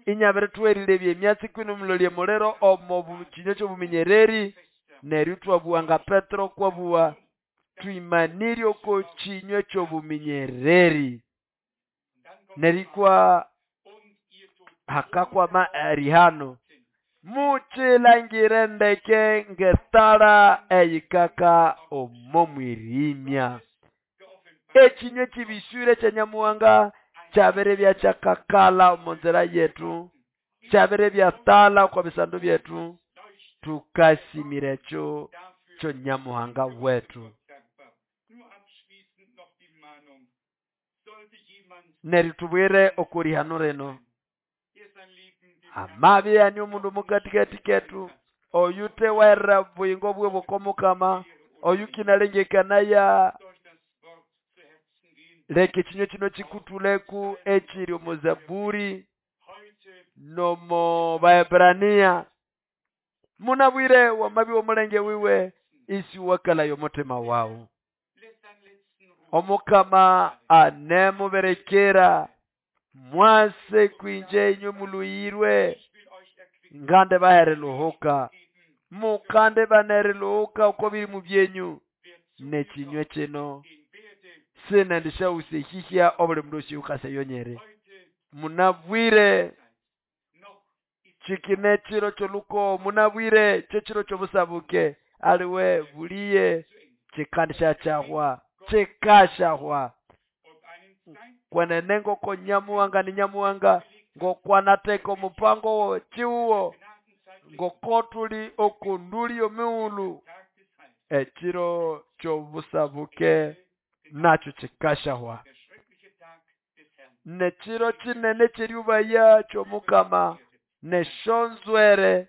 inyabirithwerilebya emyatsi kwino mulolye muliro omo kinywa kyobuminyereri neryo thwabuwa nga Petero kwabuwa twimanirye oko kinywa kyobuminyereri nerikwa hakakwama erihano muchilangire ndeke ngetara eyikaka omo mwirimya ekinywa kibiswire kya Nyamuhanga kyabiribya kyakakala omo nzira yetu kyabiribya tala okwa bisandu byethu tukasimira ekyo kyo Nyamuhanga wetu. Neryo tubwire okurihano rino amabi yani omundu mukatikati ketu oyu tewerera buyingo bwe bw'okomukama oyu kinalengekanaya leka ekinywa kino kikutuleku ekiri omu Zaburi nomo Baebrania munabwire wamabi w'omulenge wiwe isi wakalayo omutima wawu omukama anemuberekera mwase kwinje inywe muluyirwe ngande bahereluhuka mukande banereluhuka uko biri mu byenyu nekinywa kino sinendishawuse hihya obuli mundu osi ukaseyonyere munabwire chikine chiro choluko munabwire chechiro chobusabuke aliwe buliye chikandisha chahwa chikashahwa kwenene ngoko Nyamuhanga ni Nyamuhanga ngokwanateka omupango chiuwo ngokotuli okunduli omiulu ekiro kyobusabuke nakyo kikashahwa nekiro kinene kyeryubaya kyomukama neshonzwere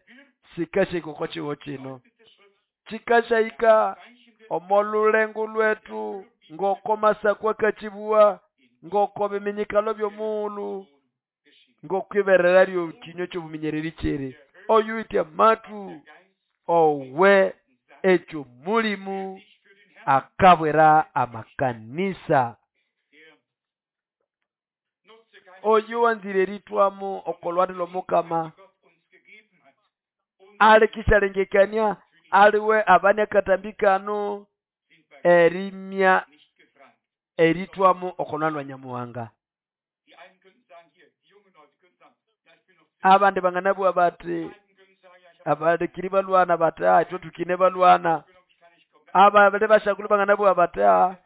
sikashika okwa kiho kino kikashahika omolulengo lwetu ngoko masakwa kachibuwa ngoko biminyikalo byomuulu ngokwiberera lyo kinywa kyobuminyereri kiri oyuitya matu owe ekyo mulimu akabwera amakanisa oyu wanzire eritwamu okolwani lwomukama alikishalengekania aliwe abani akatambikano erimya eritwamu okolwani lwa Nyamuhanga abandi banganabugha bati abandikiri balwana bati ah ithwe tukine balwana ababere bashakulu banganabugha bati ah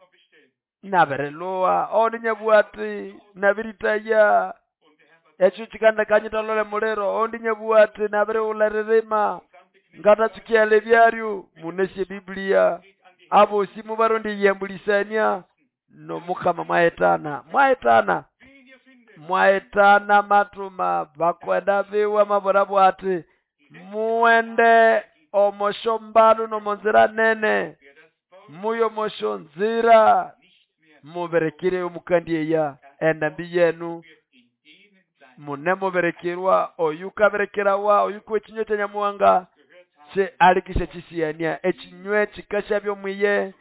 nabirilugha ondi nyabugha ati nabiritaya ekyo kikandakanyithalole muliro ondi nyabugha ati nabirighulha eririma ngatatsukiala ebyaryo munesye Biblia abosi mubaronde eyambulisania nomukama mwahitana mwahitana mwahitana matuma bakwenda biwe mabura bwati muwende omosho mbalu nomonzira nene muyo mosho nzira muberekire omukandi eya endambi yenu munemuberekerwa oyu kaberekerawa oyu kwekinywa kya Nyamuhanga kye alikisha kisiyania ekinywa kikashabya omwiye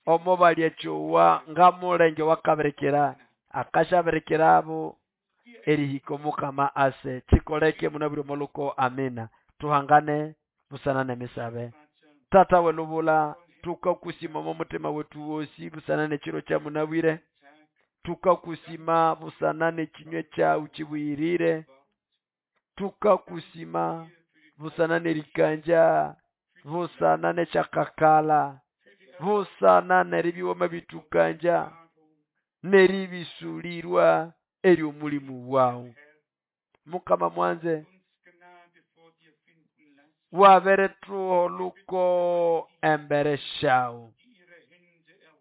Omo balyechowa ngamulenge wakabirikira akashabirikirabo erihika omukama ase chikoleke munabwire omoluko amina. Tuhangane busana nemisabe. Tata welubula tukakusima omo mutima wetu wosi busana nechiro kya munabwire. Tukakusima busana nekinywe kyawu kibuyirire. Tukakusima busana nerikanja busana nekyakakala busana neribiwoma bitukanja neribisulirwa eri omulimu wawu. Mukama mwanze waberethuholuko embere shawu.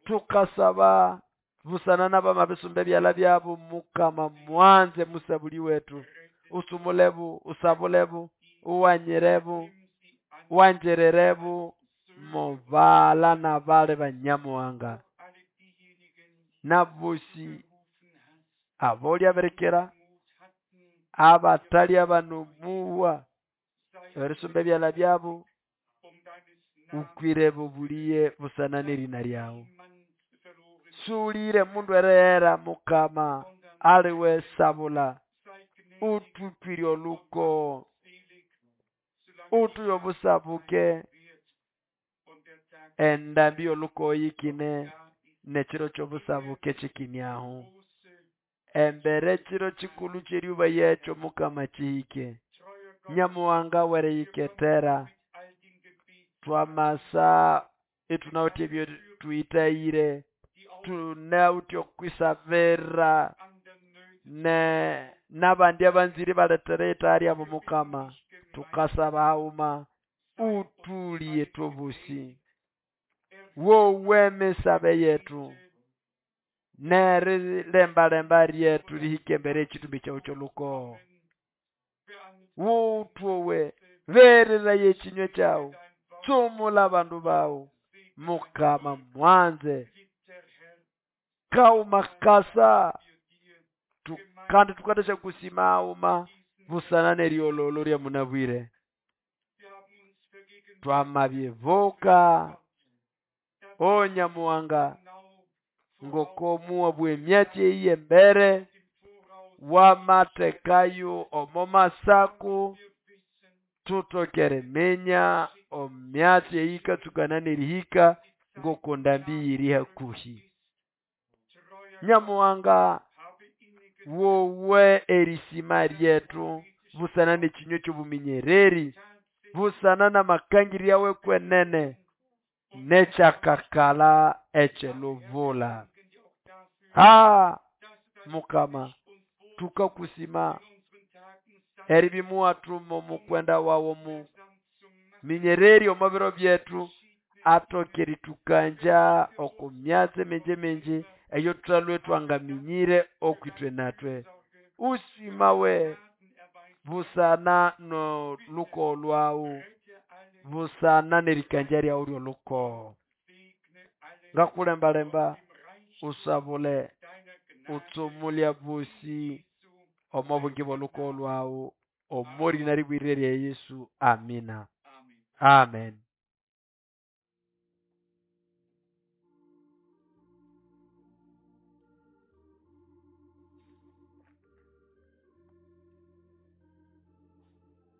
Tukasaba busana n'abamabisumba ebyala byabo mukama mwanze musabuli wetu usumulebu usabulebu uwanyirebu wanjererebu mubala nabale banyamuhanga nabosi abolyaberekera abatali abanomuwa erisumba ebyala byabo ukwire bubuliye busana nerina lyawu. Sulire mundu erehera mukama aliwe sabula ututwire oluko utuye obusabuke endambi oluko yikine nekiro kyobusabuke kikinyaho embere kiro kikulu kyeryuba yekyo mukama kihike nyamuhanga wereyiketera twamasa etunawithe ebyo twitayire tunawithe okwisabira ne nabandi abanzire baletere itaha lyabo mukama tukasaba haghuma utuliye tobusi wowe emisabe yetu nerilembalemba lyetu lihike embere ekitumbi kyawu ky'oluko wutwowe bereraye ekinywe kyawu tsumula abandu bawu mukama mwanze kauma kasa tu, kandi tukatesha kusima auma busana neryololo lya munabwire twamabyevoka onyamuhanga ngokomuwa bwemyatsi eyi embere wamatekayo omo masaku tutokere menya omyatsi eyikatsukana nerihika ngokondambi yiri hakuhi. Nyamuhanga wowe erisima lyetu busana nekinywe kyobuminyereri busana namakangirya yawe kwenene nekyakakala ekyelubula. Ha mukama tukakusima eribimuwathumo mukwenda wawo mu minyereri omo biro byetu atokeri tukanja okumyatsi mingi mingi eyo twalwe twangaminyire okwitwe natwe usimawe busana no luko lwawu busana nerikanja lyawu lyoluko ngakulembalemba usabule utsumulya bosi omo bungi bw'oluko lwawu omorina ribwirire lya Yesu amina. Amen.